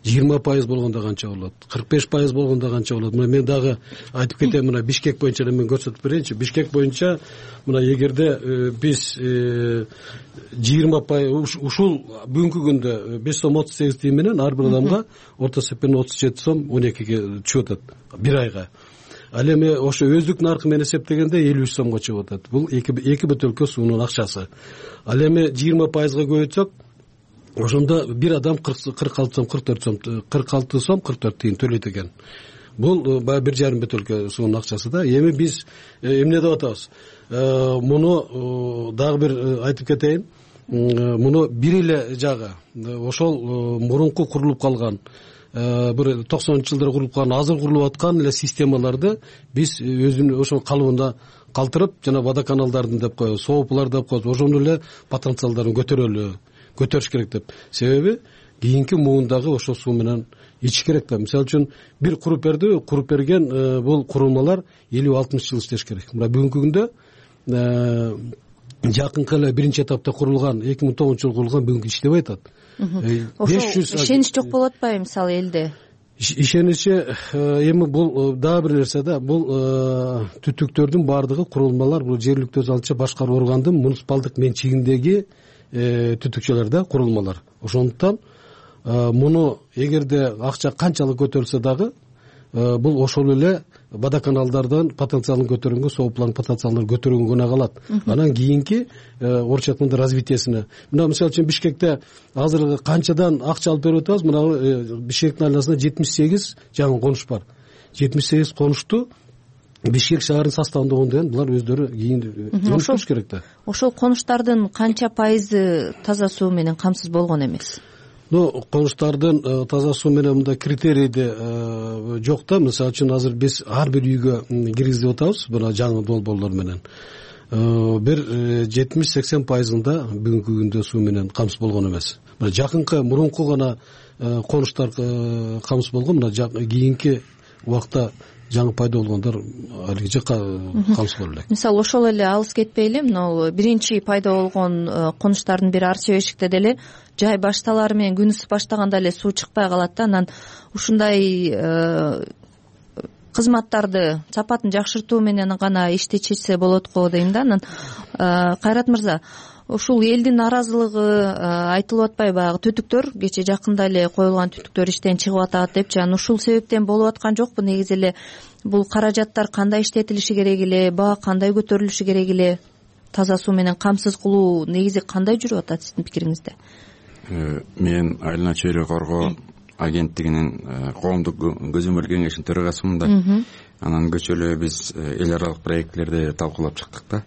жыйырма пайыз болгондо канча болот? кырк беш пайыз болгондо канча болот? Мына мен дагы айтып кетем, мына Бишкек боюнча эле мен көрсөтүп берейинчи. Бишкек боюнча мына эгерде биз жыйырма пайыз ушул бүгүнкү күндө беш сом отуз сегиз тыйын менен ар бир адамга орто эсеппен отуз жети сом он экиге түшүп атат бир айга. ал эми ошо өздүк наркы менен эсептегенде элүү үч сомго чыгып атат. Бул эки эки бөтөлкө суунун акчасы. Ал эми жыйырма пайызга көбөйтсөк, ошондо бир адам кырк алты сом кырк төрт сом кырк алты сом кырк төрт тыйын төлөйт экен. Бул баягы бир жарым бөтөлкө суунун акчасы да. Эми биз эмне деп атабыз? Муну дагы бир айтып кетейин. Муну бир эле жагы ошол мурунку курулуп калган бир токсонунчу жылдары курулуп калган, азыр курулуп аткан эле системаларды биз өзүнүн ошол калыбында калтырып, жана водоканалдардын деп коебуз, соопулар деп коебуз, ошонун эле потенциалдарын көтөрөлү, көтөрүш керек деп. Себеби кийинки муундагы ошол суу менен ичиш керек да. Мисалы үчүн бир куруп берди, куруп берген бул курулмалар элүү алтымыш жыл иштеш керек. Мына бүгүнкү күндө жакынкы эле биринчи этапта курулган, эки миң тогузунчу жылы курулган бүгүнкү иштебей атат. Ошол ишенич жок болуп атпайбы мисалы элде? Ишеничи эми бул дагы бир нерсе да. Бул түтүктөрдүн баардыгы курулмалар бул жергиликтүү өз алдынча башкаруу органдын муниципалдык менчигиндеги түтүкчөлөр да, курулмалар. Ошондуктан муну эгерде акча канчалык көтөрүлсө дагы бул ошол эле водоканалдардын потенциалын көтөргөнгө, соопулардын потенциалын көтөргөнгө гана калат. Анан кийинки орусча айтканда развитиесине. Мына мисалы үчүн Бишкекте азыр канчадан акча алып берип атабыз? Мына Бишкектин айланасында жетимиш сегиз жаңы конуш бар. жетимиш сегиз конушту Бишкек шаарынын составында болгон деген булар өздөрү кийин өнүктүрүш керек да. Ошол конуштардын канча пайызы таза суу менен камсыз болгон эмес? Ну, конуштардын таза суу менен мындай критерийди жок да. Мисалы үчүн азыр биз ар бир үйгө киргизип атабыз мына жаңы долбоорлор менен. Бир жетимиш сексен пайызында бүгүнкү күндө суу менен камсыз болгон эмес. Мына жакынкы мурунку гана конуштар камсыз болгон, мына кийинки убакта жаңы пайда болгондор алиги жакка камсыз боло элек. Мисалы ошол эле алыс кетпейли, мына биринчи пайда болгон конуштардын бири Арча Бешикте деле жай башталары менен күн ысып баштаганда эле суу чыкпай калат да. Анан ушундай кызматтарды сапатын жакшыртуу менен гана иштечилсе болот го дейм да. Анан Кайрат мырза, ушул элдин нааразылыгы айтылып атпайбы? Баягы түтүктөр кечээ жакында эле коюлган түтүктөр иштен чыгып атат депчи. Анан ушул себептен болуп аткан жокпу? Негизи эле бул каражаттар кандай иштетилиши керек эле, баа кандай көтөрүлүшү керек эле, таза суу менен камсыз кылуу негизи кандай жүрүп атат сиздин пикириңизде? Мен Айлана чөйрө коргоо агенттигинин коомдук көзөмөл кеңешинин төрагасымын да. Анан көчөлө биз эл аралык проектлерди талкуулап чыктык да.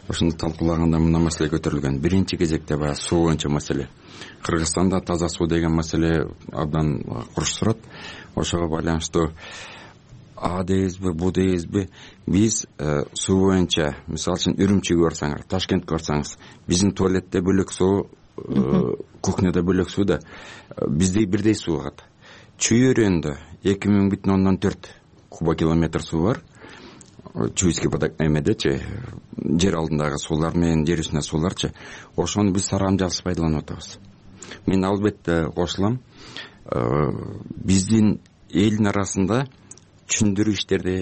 Ошондо талкуулаганда мына маселе көтөрүлгөн. Биринчи кезекте баягы суу боюнча маселе. Кыргызстанда таза суу деген маселе абдан курч турат. Ошого байланыштуу а дейбизби, бу дейбизби, биз суу боюнча мисалы үчүн Үрүмчүгө барсаңыз, Ташкентке барсаңыз, биздин туалетте бөлөк суу, кухняда бөлөк суу да бизде бирдей суу агат. Чүй өрөөнүндө эки миң бүтүн ондон төрт кубокилометр суу бар. Чуйский водок эмедечи, жер алдындагы суулар менен жер үстүнө сууларчы. Ошону биз сарамжалсыз пайдаланып атабыз. Мен албетте кошулам. Биздин элдин арасында түшүндүрүү иштерди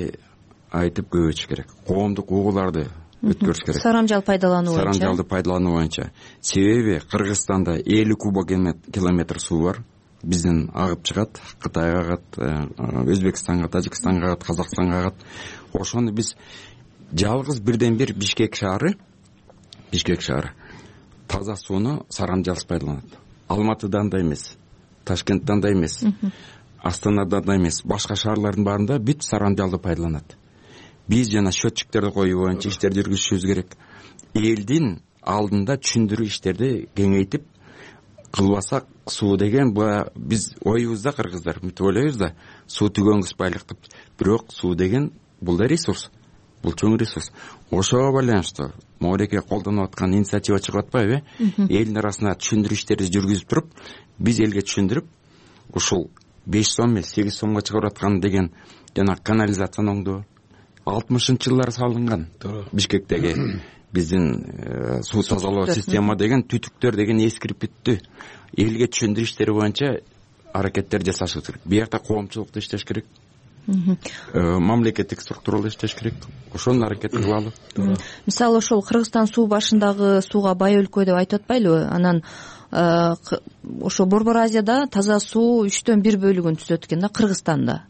айтып көбөйтүш керек. Коомдук угууларды өткөрүш керек. Сарамжал пайдалануу боюнча. Сарамжалды пайдалануу боюнча. Себеби Кыргызстанда элүү кубокилометр суу бар. Бизден агып чыгат, Кытайга агат, Өзбекстанга, Тажикстанга агат, Казакстанга агат. Ошону биз жалгыз бирден бир Бишкек шаары, Бишкек шаары таза сууну сарамжалсыз пайдаланат. Алматыдан да эмес, Ташкенттен да эмес, Астанадан да эмес, башка шаарлардын баарында бүт сарамжалды пайдаланат. Биз жана счетчиктерди коюу боюнча иштерди жүргүзүшүбүз керек. Элдин алдында түшүндүрүү иштерди кеңейтип кылбасак, суу деген биз оюбузда кыргыздар мынтип ойлойбуз да, суу түгөнгүс байлык деп. Бирок суу деген бул да ресурс, бул чоң ресурс. Ошого байланыштуу Моореке колдонуп аткан инициатива чыгып атпайбы? Элдин арасына түшүндүрүү иштерди жүргүзүп туруп, биз элге түшүндүрүп, ушул беш сом эмес сегиз сомго чыгарып аткан деген жана канализацияны оңдоо алтымышынчы жылдары салынган Бишкектеги биздин суу тазалоо система деген түтүктөр деген эскирип бүттү. Элге түшүндүрүү иштери боюнча аракеттер жасашыбыз керек. Биякта коомчулукта иштеш керек. Мамлекеттик структуралар иштеш керек. Ошонун аракетин кылалы. Мисалы ошол Кыргызстан суу башындагы сууга бай өлкө деп айтып атпайлыбы? Анан ошо Борбор Азияда таза суу үчтөн бир бөлүгүн түзөт экен да, Кыргызстанда.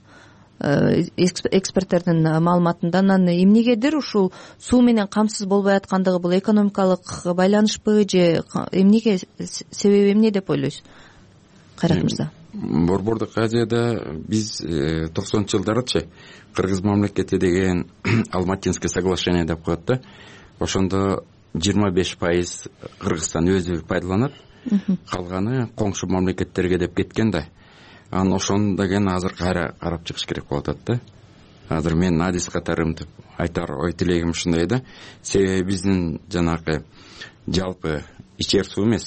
эксперттердин маалыматында. Анан эмнегедир ушул суу менен камсыз болбой аткандыгы бул экономикалык байланышпы же эмнеге, себеби эмне деп ойлойсуз, Кайрат мырза? Борбордук Азияда биз токсонунчу жылдарычы Кыргыз мамлекети деген Алматинский соглашение деп коет да. Ошондо жыйырма беш пайыз Кыргызстан өзү пайдаланат, калганы коңшу мамлекеттерге деп кеткен да. Анан ошону деген азыр кайра карап чыгыш керек болуп атат да. Азыр мен адис катарымтып айтар ой тилегим ушундай да. Себеби биздин жанагы жалпы ичер суу эмес,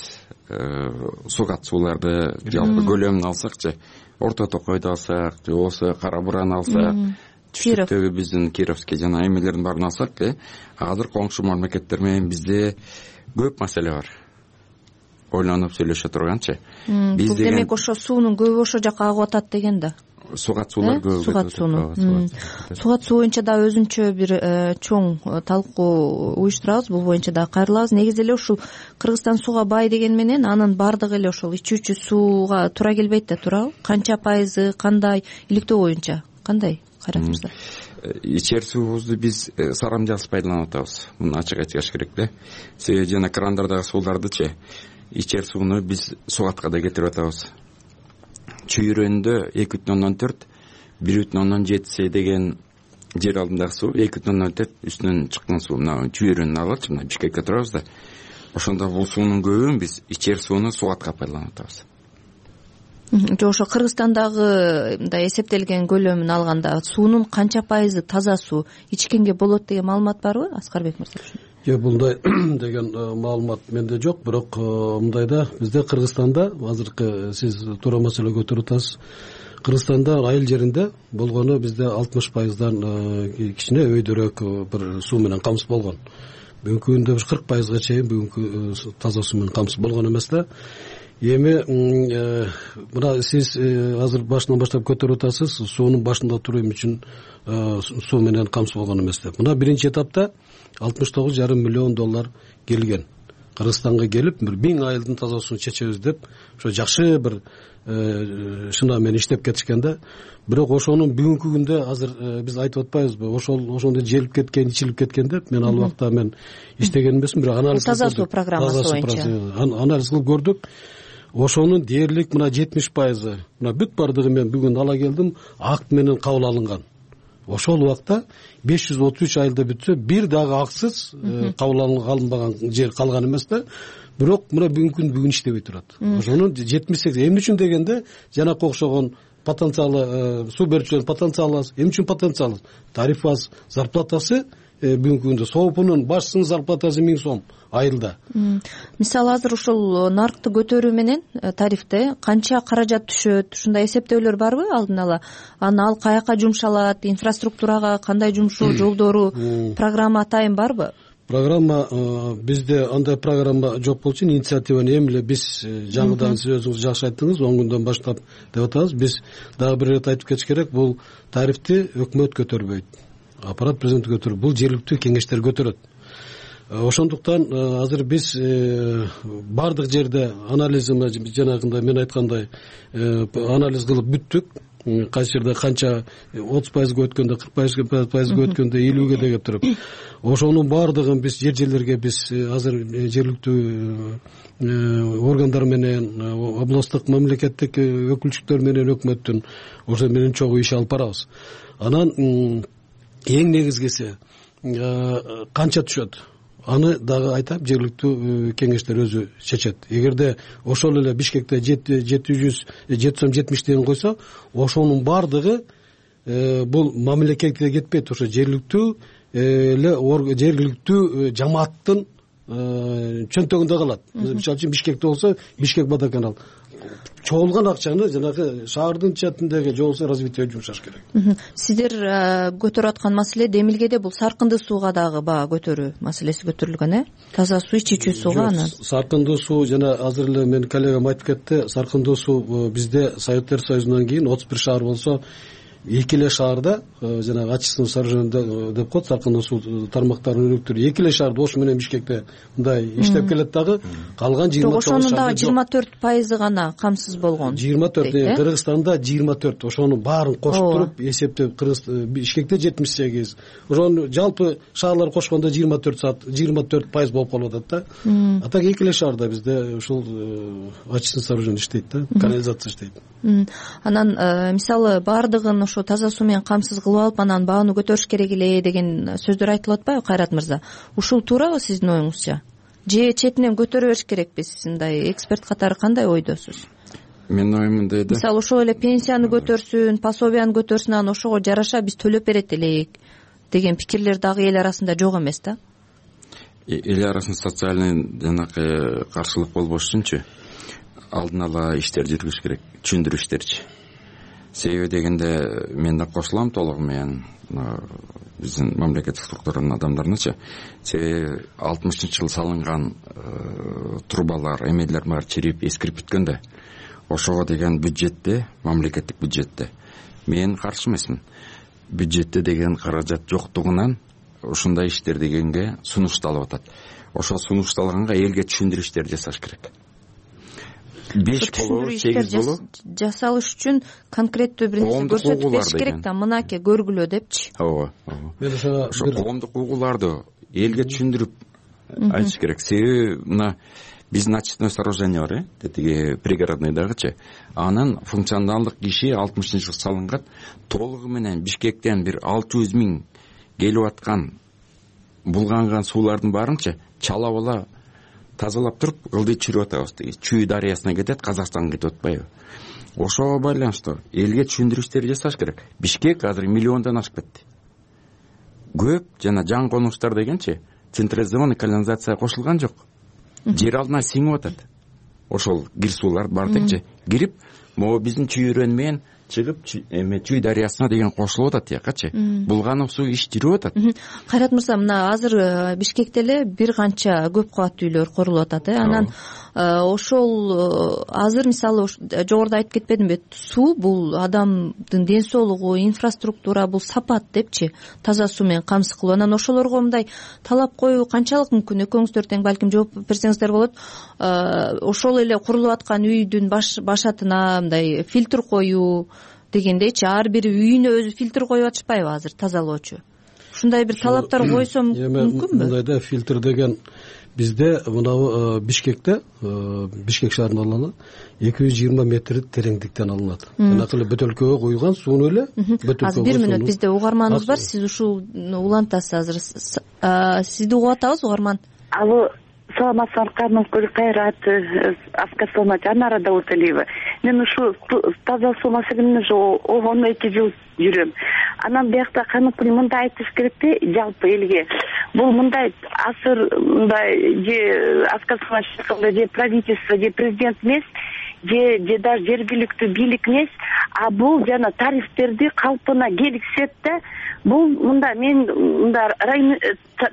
сугат сууларды жалпы көлөмүн алсакчы, Орто Токойду алсак, же болбосо Кара Бураны алсак, түштүктөгү биздин Кировский жана эмелердин баарын алсак, азыр коңшу мамлекеттер менен бизде көп маселе бар. Ойлонуп сүйлөшө турганчы. Бул демек ошо суунун көбү ошо жака агып атат деген да. Сугат суулар көбү. Сугат сууну. Сугат суу боюнча да өзүнчө бир чоң талкуу уюштурабыз. Бул боюнча да кайрылабыз. Негизи эле ушул Кыргызстан сууга бай деген менен анын баардыгы эле ошол ичүүчү сууга туура келбейт да, туурабы? Канча пайызы, кандай, иликтөө боюнча кандай, Кайрат мырза? Ичер суубузду биз сарамжасыз пайдаланып атабыз. Муну ачык айтыш керек да. Себеби жана крандардагы суулардычы ичер сууну биз сугатка да кетирип атабыз. Чүйрөндө эки бүтүн ондон төрт, бир бүтүн ондон жети деген жер алдындагы суу, эки бүтүн ондон төрт үстүнөн чыккан суу. Мына чүйрөнүн алачы, мына Бишкекке турабыз да. Ошондо бул суунун көбүн биз ичер сууну сугатка пайдаланып атабыз. Жо ошо Кыргызстандагы мындай эсептелген көлөмүн алганда суунун канча пайызы таза суу ичкенге болот деген маалымат барбы, Аскарбек мырза? Жок, мындай деген маалымат менде жок, бирок мындайда бизде Кыргызстанда азыркы сиз туура маселе көтөрүп атасыз. Кыргызстанда айыл жеринде болгону бизде алтымыш пайыздан кичине өйдөрөөк бир суу менен камсыз болгон. Бүгүнкү күндө бир кырк пайызга чейин бүгүнкү таза суу менен камсыз болгон эмес да. Эми мына сиз азыр башынан баштап көтөрүп атасыз, суунун башында туруу эми үчүн суу менен камсыз болгон эмес деп. Мына биринчи этапта алтымыш тогуз жарым миллион доллар келген. Кыргызстанга келип, бир миң айылдын таза суун чечебиз деп, ошо жакшы бир шына менен иштеп кетишкен да. Бирок ошонун бүгүнкү күндө азыр биз айтып атпайбызбы, ошол ошондо желип кеткен, ичилип кеткен деп. Мен ал убакта мен иштеген эмесмин, бирок анализ таза суу программасы боюнча анализ кылып көрдүк. Ошонун дээрлик мына жетимиш пайызы, мына бүт бардыгы мен бүгүн ала келдим, акт менен кабыл алынган. Ошол убакта беш жүз отуз үч айылда бүтсө, бир дагы аксыз кабыл алынбаган жер калган эмес да. Бирок мына бүгүнкү күн бүгүн иштебей турат. Ошонун жетимиш сегиз эмне үчүн дегенде, жанакы окшогон потенциалы, суу берүүчүлөрдүн потенциалы аз. Эмне үчүн потенциалы? Тариф аз, зарплатасы бүгүнкү күндө соопунун башчысынын зарплатасы миң сом айылда. Мисалы азыр ушул наркты көтөрүү менен тарифте канча каражат түшөт, ушундай эсептөөлөр барбы алдын ала? Аны ал каяка жумшалат, инфраструктурага кандай жумшоо жолдору, программа атайын барбы? Программа бизде андай программа жок болчу, инициативаны эми эле биз жаңыдан, сиз өзүңүз жакшы айттыңыз, он күндөн баштап деп атабыз. Биз дагы бир ирет айтып кетиш керек, бул тарифти өкмөт көтөрбөйт. Аппарат президенти көтөрөт, бул жергиликтүү кеңештер көтөрөт. Ошондуктан азыр биз бардык жерде анализин жанагындай мен айткандай анализ кылып бүттүк. Кайсы жерде канча отуз пайызга өткөндө, кырк пайызга өткөндө, элүүгө деп туруп. Ошонун бардыгын биз жер жерлерге биз азыр жергиликтүү органдар менен, областтык мамлекеттик өкүлчүлүктөр менен өкмөттүн ошо менен чогуу иш алып барабыз. Анан эң негизгиси канча түшөт? Аны дагы айтам, жергиликтүү кеңештер өзү чечет. Эгерде ошол эле Бишкекте жети жүз жети жетимиш деген койсо, ошонун бардыгы бул мамлекетке кетпейт, ошо жергиликтүү эле жергиликтүү жамааттын чөнтөгүндө калат. Мисалы үчүн Бишкекте болсо, Бишкек водоканал чогулган акчаны жанагы шаардын четиндеги же болбосо развитие жумшаш керек. Сиздер көтөрүп аткан маселе Демилгеде бул саркындуу сууга дагы баа көтөрүү маселеси көтөрүлгөн, э? Таза суу, ичүүчү сууга анан. Саркындуу суу жана азыр эле менин коллегам айтып кетти, саркындуу суу бизде Советтер Союзунан кийин отуз бир шаар болсо, эки эле шаарда жанагы очистное сооружение деп коет, салкындуу суу тармактарынын өнүктүрүү эки эле шаарда Ош менен Бишкекте мындай иштеп келет дагы, калган жыйырма тогуз шаарда ошонун дагы жыйырма төрт пайызы гана камсыз болгон. жыйырма төрт Кыргызстанда жыйырма төрт ошонун баарын кошуп туруп эсептеп Бишкекте жетимиш сегиз, ошону жалпы шаарлар кошкондо жыйырма төрт саат жыйырма төрт пайыз болуп калып атат да. А так эки эле шаарда бизде ушул очистное сооружение иштейт да, канализация иштейт. Анан мисалы баардыгын ошо таза суу менен камсыз кылып алып, анан бааны көтөрүш керек эле деген сөздөр айтылып атпайбы, Кайрат мырза? Ушул туурабы сиздин оюңузча? Же четинен көтөрө бериш керекпиз? Мындай эксперт катары кандай ойдосуз? Менин оюм мындай да. Мисалы ошол эле пенсияны көтөрсүн, пособияны көтөрсүн, анан ошого жараша биз төлөп берет элек деген пикирлер дагы эл арасында жок эмес да? Эл арасында социальный жанагы каршылык болбош үчүнчү алдын ала иштер жүргүзүш керек, түшүндүрүү иштерчи. Себеби дегенде мен да кошулам толугу менен биздин мамлекеттик структуранын адамдарыначы. Себеби алтымышынчы жылы салынган трубалар, эмелер баары чирип, эскирип бүткөндө ошого деген бюджетте, мамлекеттик бюджетте мен каршы эмесмин. Бюджетте деген каражат жоктугунан ушундай иштер дегенге сунушталып атат. Ошо сунушталганга элге түшүндүрүү иштерди жасаш керек. беш болобу, сегиз болобу жасалыш үчүн конкреттүү бир нерсе көрсөтүп бериш керек да, мынакей көргүлө депчи. Ооба, ооба. Ошо коомдук угууларды элге түшүндүрүп айтыш керек. Себеби мына биздин очистное сооружение бар, э, тетиги пригородныйдагычы. Анын функционалдык иши алтымышынчы жылы салынган. Толугу менен Бишкектен бир алты жүз миң келип аткан булганган суулардын баарынчы чалап ала тазалап туруп ылдый чүрүп атабыз. Чүй дарыясына кетет, Казакстанга кетип атпайбы? Ошого байланыштуу элге түшүндүрүү иштери жасаш керек. Бишкек азыр миллиондон ашып кетти. Көп жана жан конуштар дегенчи централизованный канализация кошулган жок. Жер алдына сиңип атат. Ошол кир суулар бар дегенчи кирип, могу биздин чүйрөн менен чыгып эме Чүй дарыясына деген кошулуп атат якачы. Булганып суу иш жүрүп атат. Кайрат мырза, мына азыр Бишкекте эле бир канча көп кабаттуу үйлөр курулуп атат, э. Анан ошол азыр мисалы жогоруда айтып кетпедимби? Суу бул адамдын ден соолугу, инфраструктура, бул сапат депчи. Таза суу менен камсыз кылуу. Анан ошолорго мындай талап коюу канчалык мүмкүн? Экөөңүздөр тең балким жооп берсеңиздер болот. Ошол эле курулуп аткан үйдүн башатына мындай фильтр коюу дегендейчи, ар бир үйүнө өзү фильтр коюп атышпайбы азыр тазалоочу? Ушундай бир талаптар койсом мүмкүнбү? Мындай да, фильтр деген бизде мына Бишкекте, Бишкек шаарында алалы эки жүз жыйырма метр тереңдиктен алынат. Жанакы эле бөтөлкөгө куйган сууну эле бөтөлкөгө. Азыр бир мүнөт бизде угарманыбыз бар, сиз ушул улантасыз азыр. Сизди угуп атабыз, угарман. Алло, саламатсызбы, Каныкөл Кайрат, Аскар Салмат, Анара Дауталиева. Мен ушу таза суу маселени ушу он эки жыл жүрөм. Анан биякта Каныкөл мындай айтыш керек да, жалпы элге. Бул мындай асыр мындай же Аскар Салмат же правительство, же президент эмес, же же даже жергиликтүү бийлик эмес, а бул жана тарифтерди калпына келгизет да. Бул мында мен мында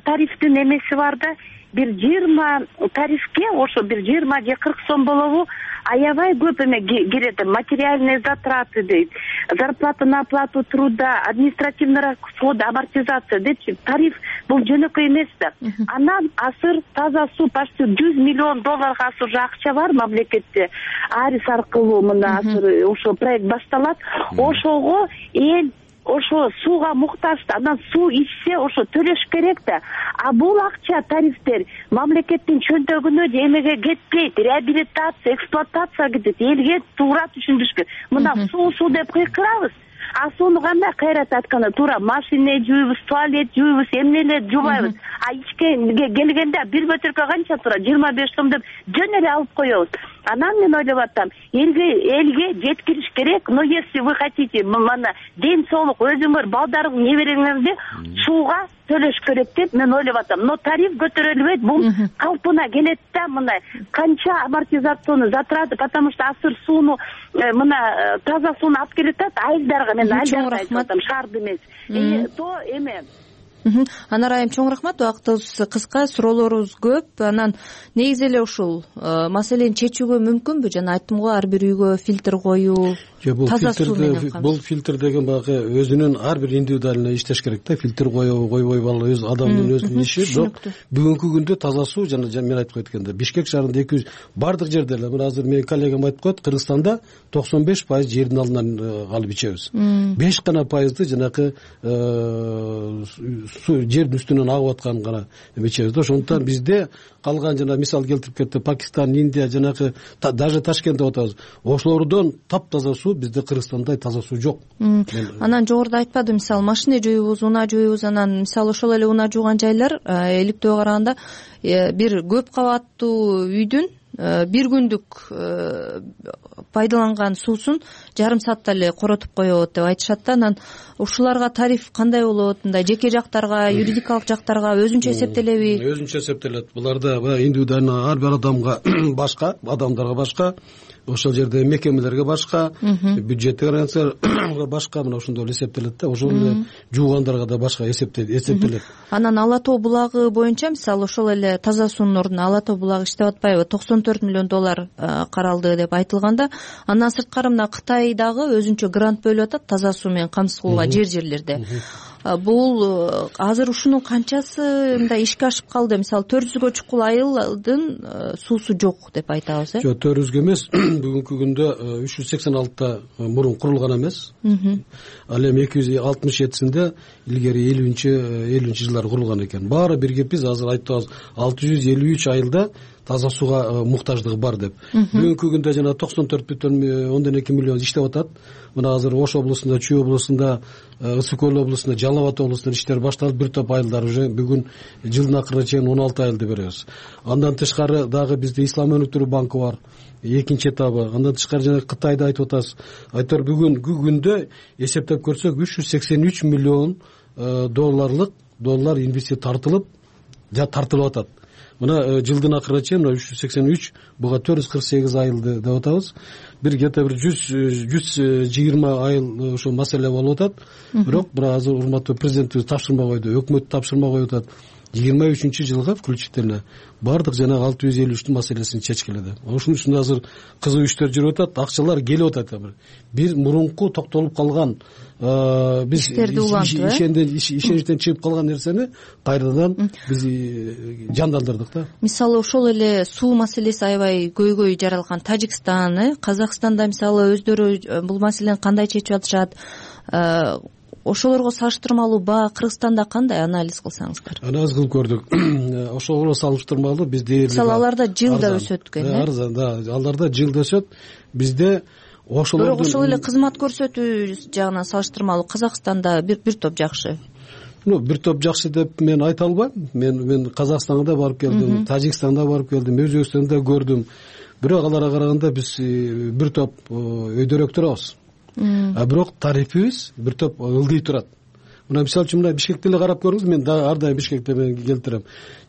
тарифтин эмеси бар да, бир жыйырма тарифке ошо бир жыйырма же кырк сом болобу, аябай көп эме кирет, материальные затраты дейт, зарплата на оплату труда, административный расход, амортизация депчи. Тариф бул жөнөкөй эмес да. Анан асыр таза суу почти жүз миллион долларга асыр уже акча бар мамлекетте. Арис аркылуу мына асыр ошо проект башталат. Ошого эл ошо сууга муктаж, анан суу ичсе ошо төлөш керек да. А бул акча, тарифтер мамлекеттин чөнтөгүнө же эмеге кетпейт, реабилитация, эксплуатация кетет. Элге туура түшүндүрүш керек. Мына суу суу деп кыйкырабыз. А сууну кандай Кайрат айтканда туура машина жууйбуз, туалет жууйбуз, эмнелер жуубайбыз. А ичке келгенде бир бөтөлкө канча тура? жыйырма беш сом деп жөн эле алып коебуз. Анан мен ойлоп атам, элге элге жеткириш керек. Но если вы хотите, мына ден соолук өзүңөр, балдарыңыз, небереңерди сууга төлөш керек деп мен ойлоп атам. Но тариф көтөрүлбөйт, бул калпына келет да, мына канча амортизационный затраты, потому что асыр сууну мына таза сууну алып келет да айылдарга. Мен айылдарга айтып атам, шаарды эмес. Э то эме Анар айым, чоң рахмат. Убактыбыз кыска, суроолорубуз көп. Анан негизи эле ушул маселени чечүүгө мүмкүнбү? Жана айттым го, ар бир үйгө фильтр коюу, таза суу менен бул фильтр деген баягы өзүнүн ар бир индивидуально иштеш керек да. Фильтр коебу, койбойбу, ал өз адамдын өзүнүн иши. Бирок бүгүнкү күндө таза суу, жана мен айтып кеткендей, Бишкек шаарында эки жүз бардык жерде эле, мына азыр менин коллегам айтып коет, Кыргызстанда токсон беш пайыз жердин алдынан алып ичебиз. беш гана пайызды жанакы жердин үстүнөн агып аткан гана ичебиз да. Ошондуктан бизде калган, жана мисал келтирип кетти, Пакистан, Индия, жанакы даже Ташкентте атабыз, ошолордон таптаза суу бизде Кыргызстанда таза суу жок. Анан жогоруда айтпадым, мисалы машина жууйбуз, унаа жууйбуз, анан мисалы ошол эле унаа жууган жайлар иликтөөгө караганда бир көп кабаттуу үйдүн бир күндүк пайдаланган суусун жарым саатта эле коротуп коет деп айтышат да. Анан ушуларга тариф кандай болот? Мындай жеке жактарга, юридикалык жактарга өзүнчө эсептелеби? Өзүнчө эсептелет. Буларда индивидуально ар бир адамга башка, адамдарга башка, ошол жерде мекемелерге башка, бюджеттик организацияларга башка, мына ошондой эле эсептелет да. Ошол эле жуугандарга да башка эсептелет. Анан Ала тоо булагы боюнча, мисалы ошол эле таза суунун ордуна Ала тоо булагы иштеп атпайбы? токсон төрт миллион доллар каралды деп айтылганда, андан сырткары мына Кытай дагы өзүнчө грант бөлүп атат таза суу менен камсыз кылууга жер жерлерде. Бул азыр ушунун канчасы мындай ишке ашып калды? Мисалы төрт жүзгө чукул айылдын суусу жок деп айтабыз, э? Жок, төрт жүзгө эмес. Бүгүнкү күндө үч жүз сексен алтыда мурун курулган эмес. Ал эми эки жүз алтымыш жетисинде илгери элүүнчү жылдары курулган экен. Баары биргеппиз, азыр айтабыз алты жүз элүү үч айылда таза сууга муктаждыгы бар деп. Бүгүнкү күндө жана токсон төрт бүтүн ондон эки миллион иштеп атат. Мына азыр Ош облусунда, Чүй облусунда, Ысык көл облусунда, Жалал Абад облусунда иштер башталып, бир топ айылдар уже бүгүн жылдын акырына чейин он алты айылды беребиз. Андан тышкары дагы бизде Ислам өнүктүрүү банкы бар, экинчи этабы. Андан тышкары жана Кытайда айтып атабыз. Айтор бүгүнкү күндө эсептеп көрсөк үч жүз сексен үч миллион долларлык доллар инвестиция тартылып, жа тартылып атат. Мына жылдын акырына чейин үч жүз сексен үч, буга төрт жүз кырк сегиз айылды деп атабыз. Бир где-то бир жүз жыйырма айыл ошо маселе болуп атат. Бирок мына азыр урматтуу президентибиз тапшырма койду, өкмөт тапшырма коюп атат. жыйырма үчүнчү жылга включительно бардык жана алты жүз элүү үчтүн маселесин чечкиле деп. Ошонун үчүн азыр кызуу иштер жүрүп атат, акчалар келип атат. Бир мурунку токтолуп калган биз ишеничтен чыгып калган нерсени кайрадан биз жандандырдык да. Мисалы ошол эле суу маселеси аябай көйгөй жаралган Тажикстан, э, Казакстанда мисалы өздөрү бул маселени кандай чечип атышат? Ошолорго салыштырмалуу баа Кыргызстанда кандай анализ кылсаңыздар? Анализ кылып көрдүк. Ошого салыштырмалуу бизде мисалы аларда жылда өсөт экен, э? Арзан, да, аларда жылда өсөт. Бизде ошолордун бирок ошол эле кызмат көрсөтүү жагынан салыштырмалуу Казакстанда бир бир топ жакшы. Ну, бир топ жакшы деп мен айта албайм. Мен мен Казакстанга да барып келдим, Тажикстанда барып келдим, Өзбекстанда көрдүм. Бирок аларга караганда биз бир топ өйдөрөөк турабыз. А бирок тарифибиз бир топ ылдый турат. Мына мисалы үчүн мына Бишкекти эле карап көрүңүз, мен ар дайым Бишкекте мен келтирем.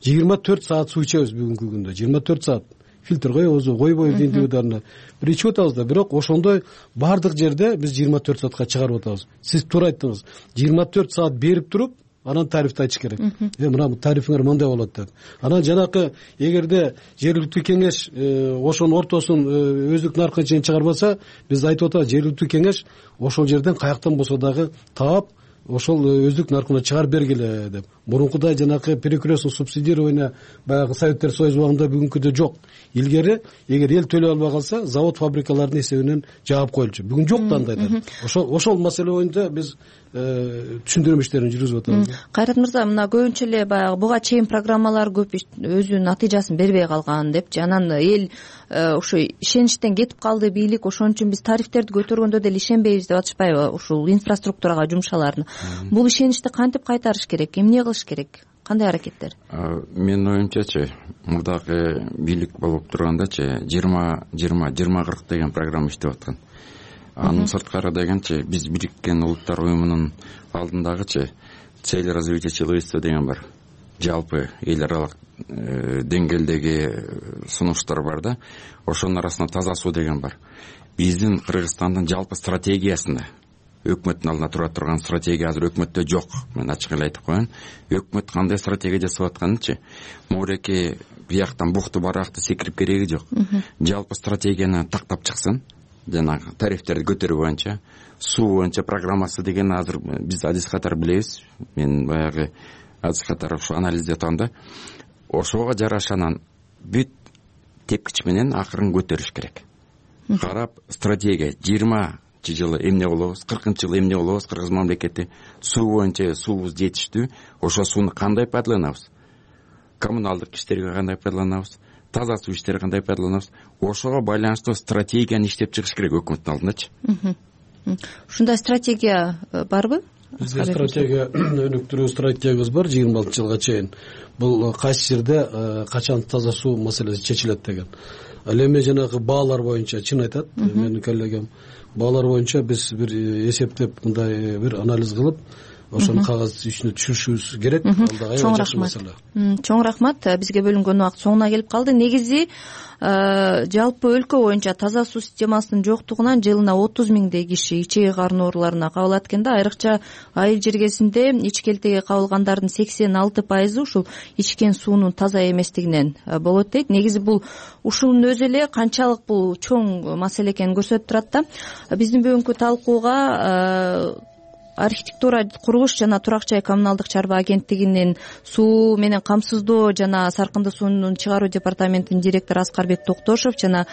жыйырма төрт саат суу ичебиз бүгүнкү күндө. жыйырма төрт саат. Фильтр коебуз, койбойбуз индивидуально. Бир ичип атабыз да, бирок ошондой бардык жерде биз жыйырма төрт саатка чыгарып атабыз. Сиз туура айттыңыз. жыйырма төрт саат берип туруп, анан тарифти айтыш керек. Э, мына тарифиңер мындай болот деп. Анан жанакы эгерде жергиликтүү кеңеш ошонун ортосун өздүк наркына чейин чыгарбаса, биз айтып атабыз, жергиликтүү кеңеш ошол жерден каяктан болсо дагы таап, ошол өздүк наркына чыгарып бергиле деп. Мурункудай жанакы перекрестный субсидирование баягы Советтер Союзу убагында бүгүнкүдөй жок. Илгери эгер эл төлөй албай калса, завод фабрикалардын эсебинен жаап коюлчу. Бүгүн жок да андайдар. Ошол ошол маселе боюнча биз түшүндүрмө иштерин жүргүзүп атабыз. Кайрат мырза, мына көбүнчө эле баягы буга чейин программалар көп өзүнүн натыйжасын бербей калган деп, анан эл ошо ишеничтен кетип калды бийлик, ошон үчүн биз тарифтерди көтөргөндө деле ишенбейбиз деп атышпайбы ушул инфраструктурага жумшаларын? Бул ишеничти кантип кайтарыш керек? Эмне кылыш керек? Кандай аракеттер? Менин оюмчачы, мурдагы бийлик болуп тургандачы жыйырма жыйырма жыйырма кырк деген программа иштеп аткан. Анын сырткары дегенчи биз Бириккен Улуттар уюмунун алдындагычы цель развития человечества деген бар. Жалпы эл аралык деңгээлдеги сунуштар бар да. Ошонун арасында таза суу деген бар. Биздин Кыргызстандын жалпы стратегиясында өкмөттүн алдына тура турган стратегия азыр өкмөттө жок. Мен ачык эле айтып коеюн. Өкмөт кандай стратегия жасап атканынчы могуреки бияктан букту баракты секирип кереги жок. Жалпы стратегияны тактап чыксын, жанагы тарифтерди көтөрүү боюнча, суу боюнча программасы деген азыр биз адис катары билебиз. Мен баягы адис катары ушу анализдеп атам да. Ошого жараша анан бүт тепкич менен акырын көтөрүш керек. Карап стратегия жыйырманчы жылы эмне болобуз, кыркынчы жылы эмне болобуз, кыргыз мамлекети суу боюнча суубуз жетиштүү, ошо сууну кандай пайдаланабыз, коммуналдык иштерге кандай пайдаланабыз, таза суу иштерге кандай пайдаланабыз, ошого байланыштуу стратегияны иштеп чыгыш керек өкмөттүн алдындачы. Ушундай стратегия барбы? Бизде стратегия өнүктүрүү стратегиябыз бар жыйырма алтынчы жылга чейин. Бул кайсы жерде качан таза суу маселеси чечилет деген. Ал эми жанагы баалар боюнча чын айтат менин коллегам. Баалар боюнча биз бир эсептеп мындай бир анализ кылып, ошону кагаз ичине түшүрүшүбүз керек. Алда аябай жакшы маселе. Чоң рахмат. Бизге бөлүнгөн убакыт соңуна келип калды. Негизи жалпы өлкө боюнча таза суу системасынын жоктугунан жылына отуз миңдей киши ичеги карын ооруларына кабылат экен да. Айрыкча айыл жергесинде ичкелтеге кабылгандардын сексен алты пайызы ушул ичкен суунун таза эместигинен болот дейт. Негизи бул ушунун өзү эле канчалык бул чоң маселе экенин көрсөтүп турат да. Биздин бүгүнкү талкууга архитектура, курулуш жана турак жай коммуналдык чарба агенттигинин суу менен камсыздоо жана саркынды суунун чыгаруу департаментинин директору Аскарбек Токтошов жана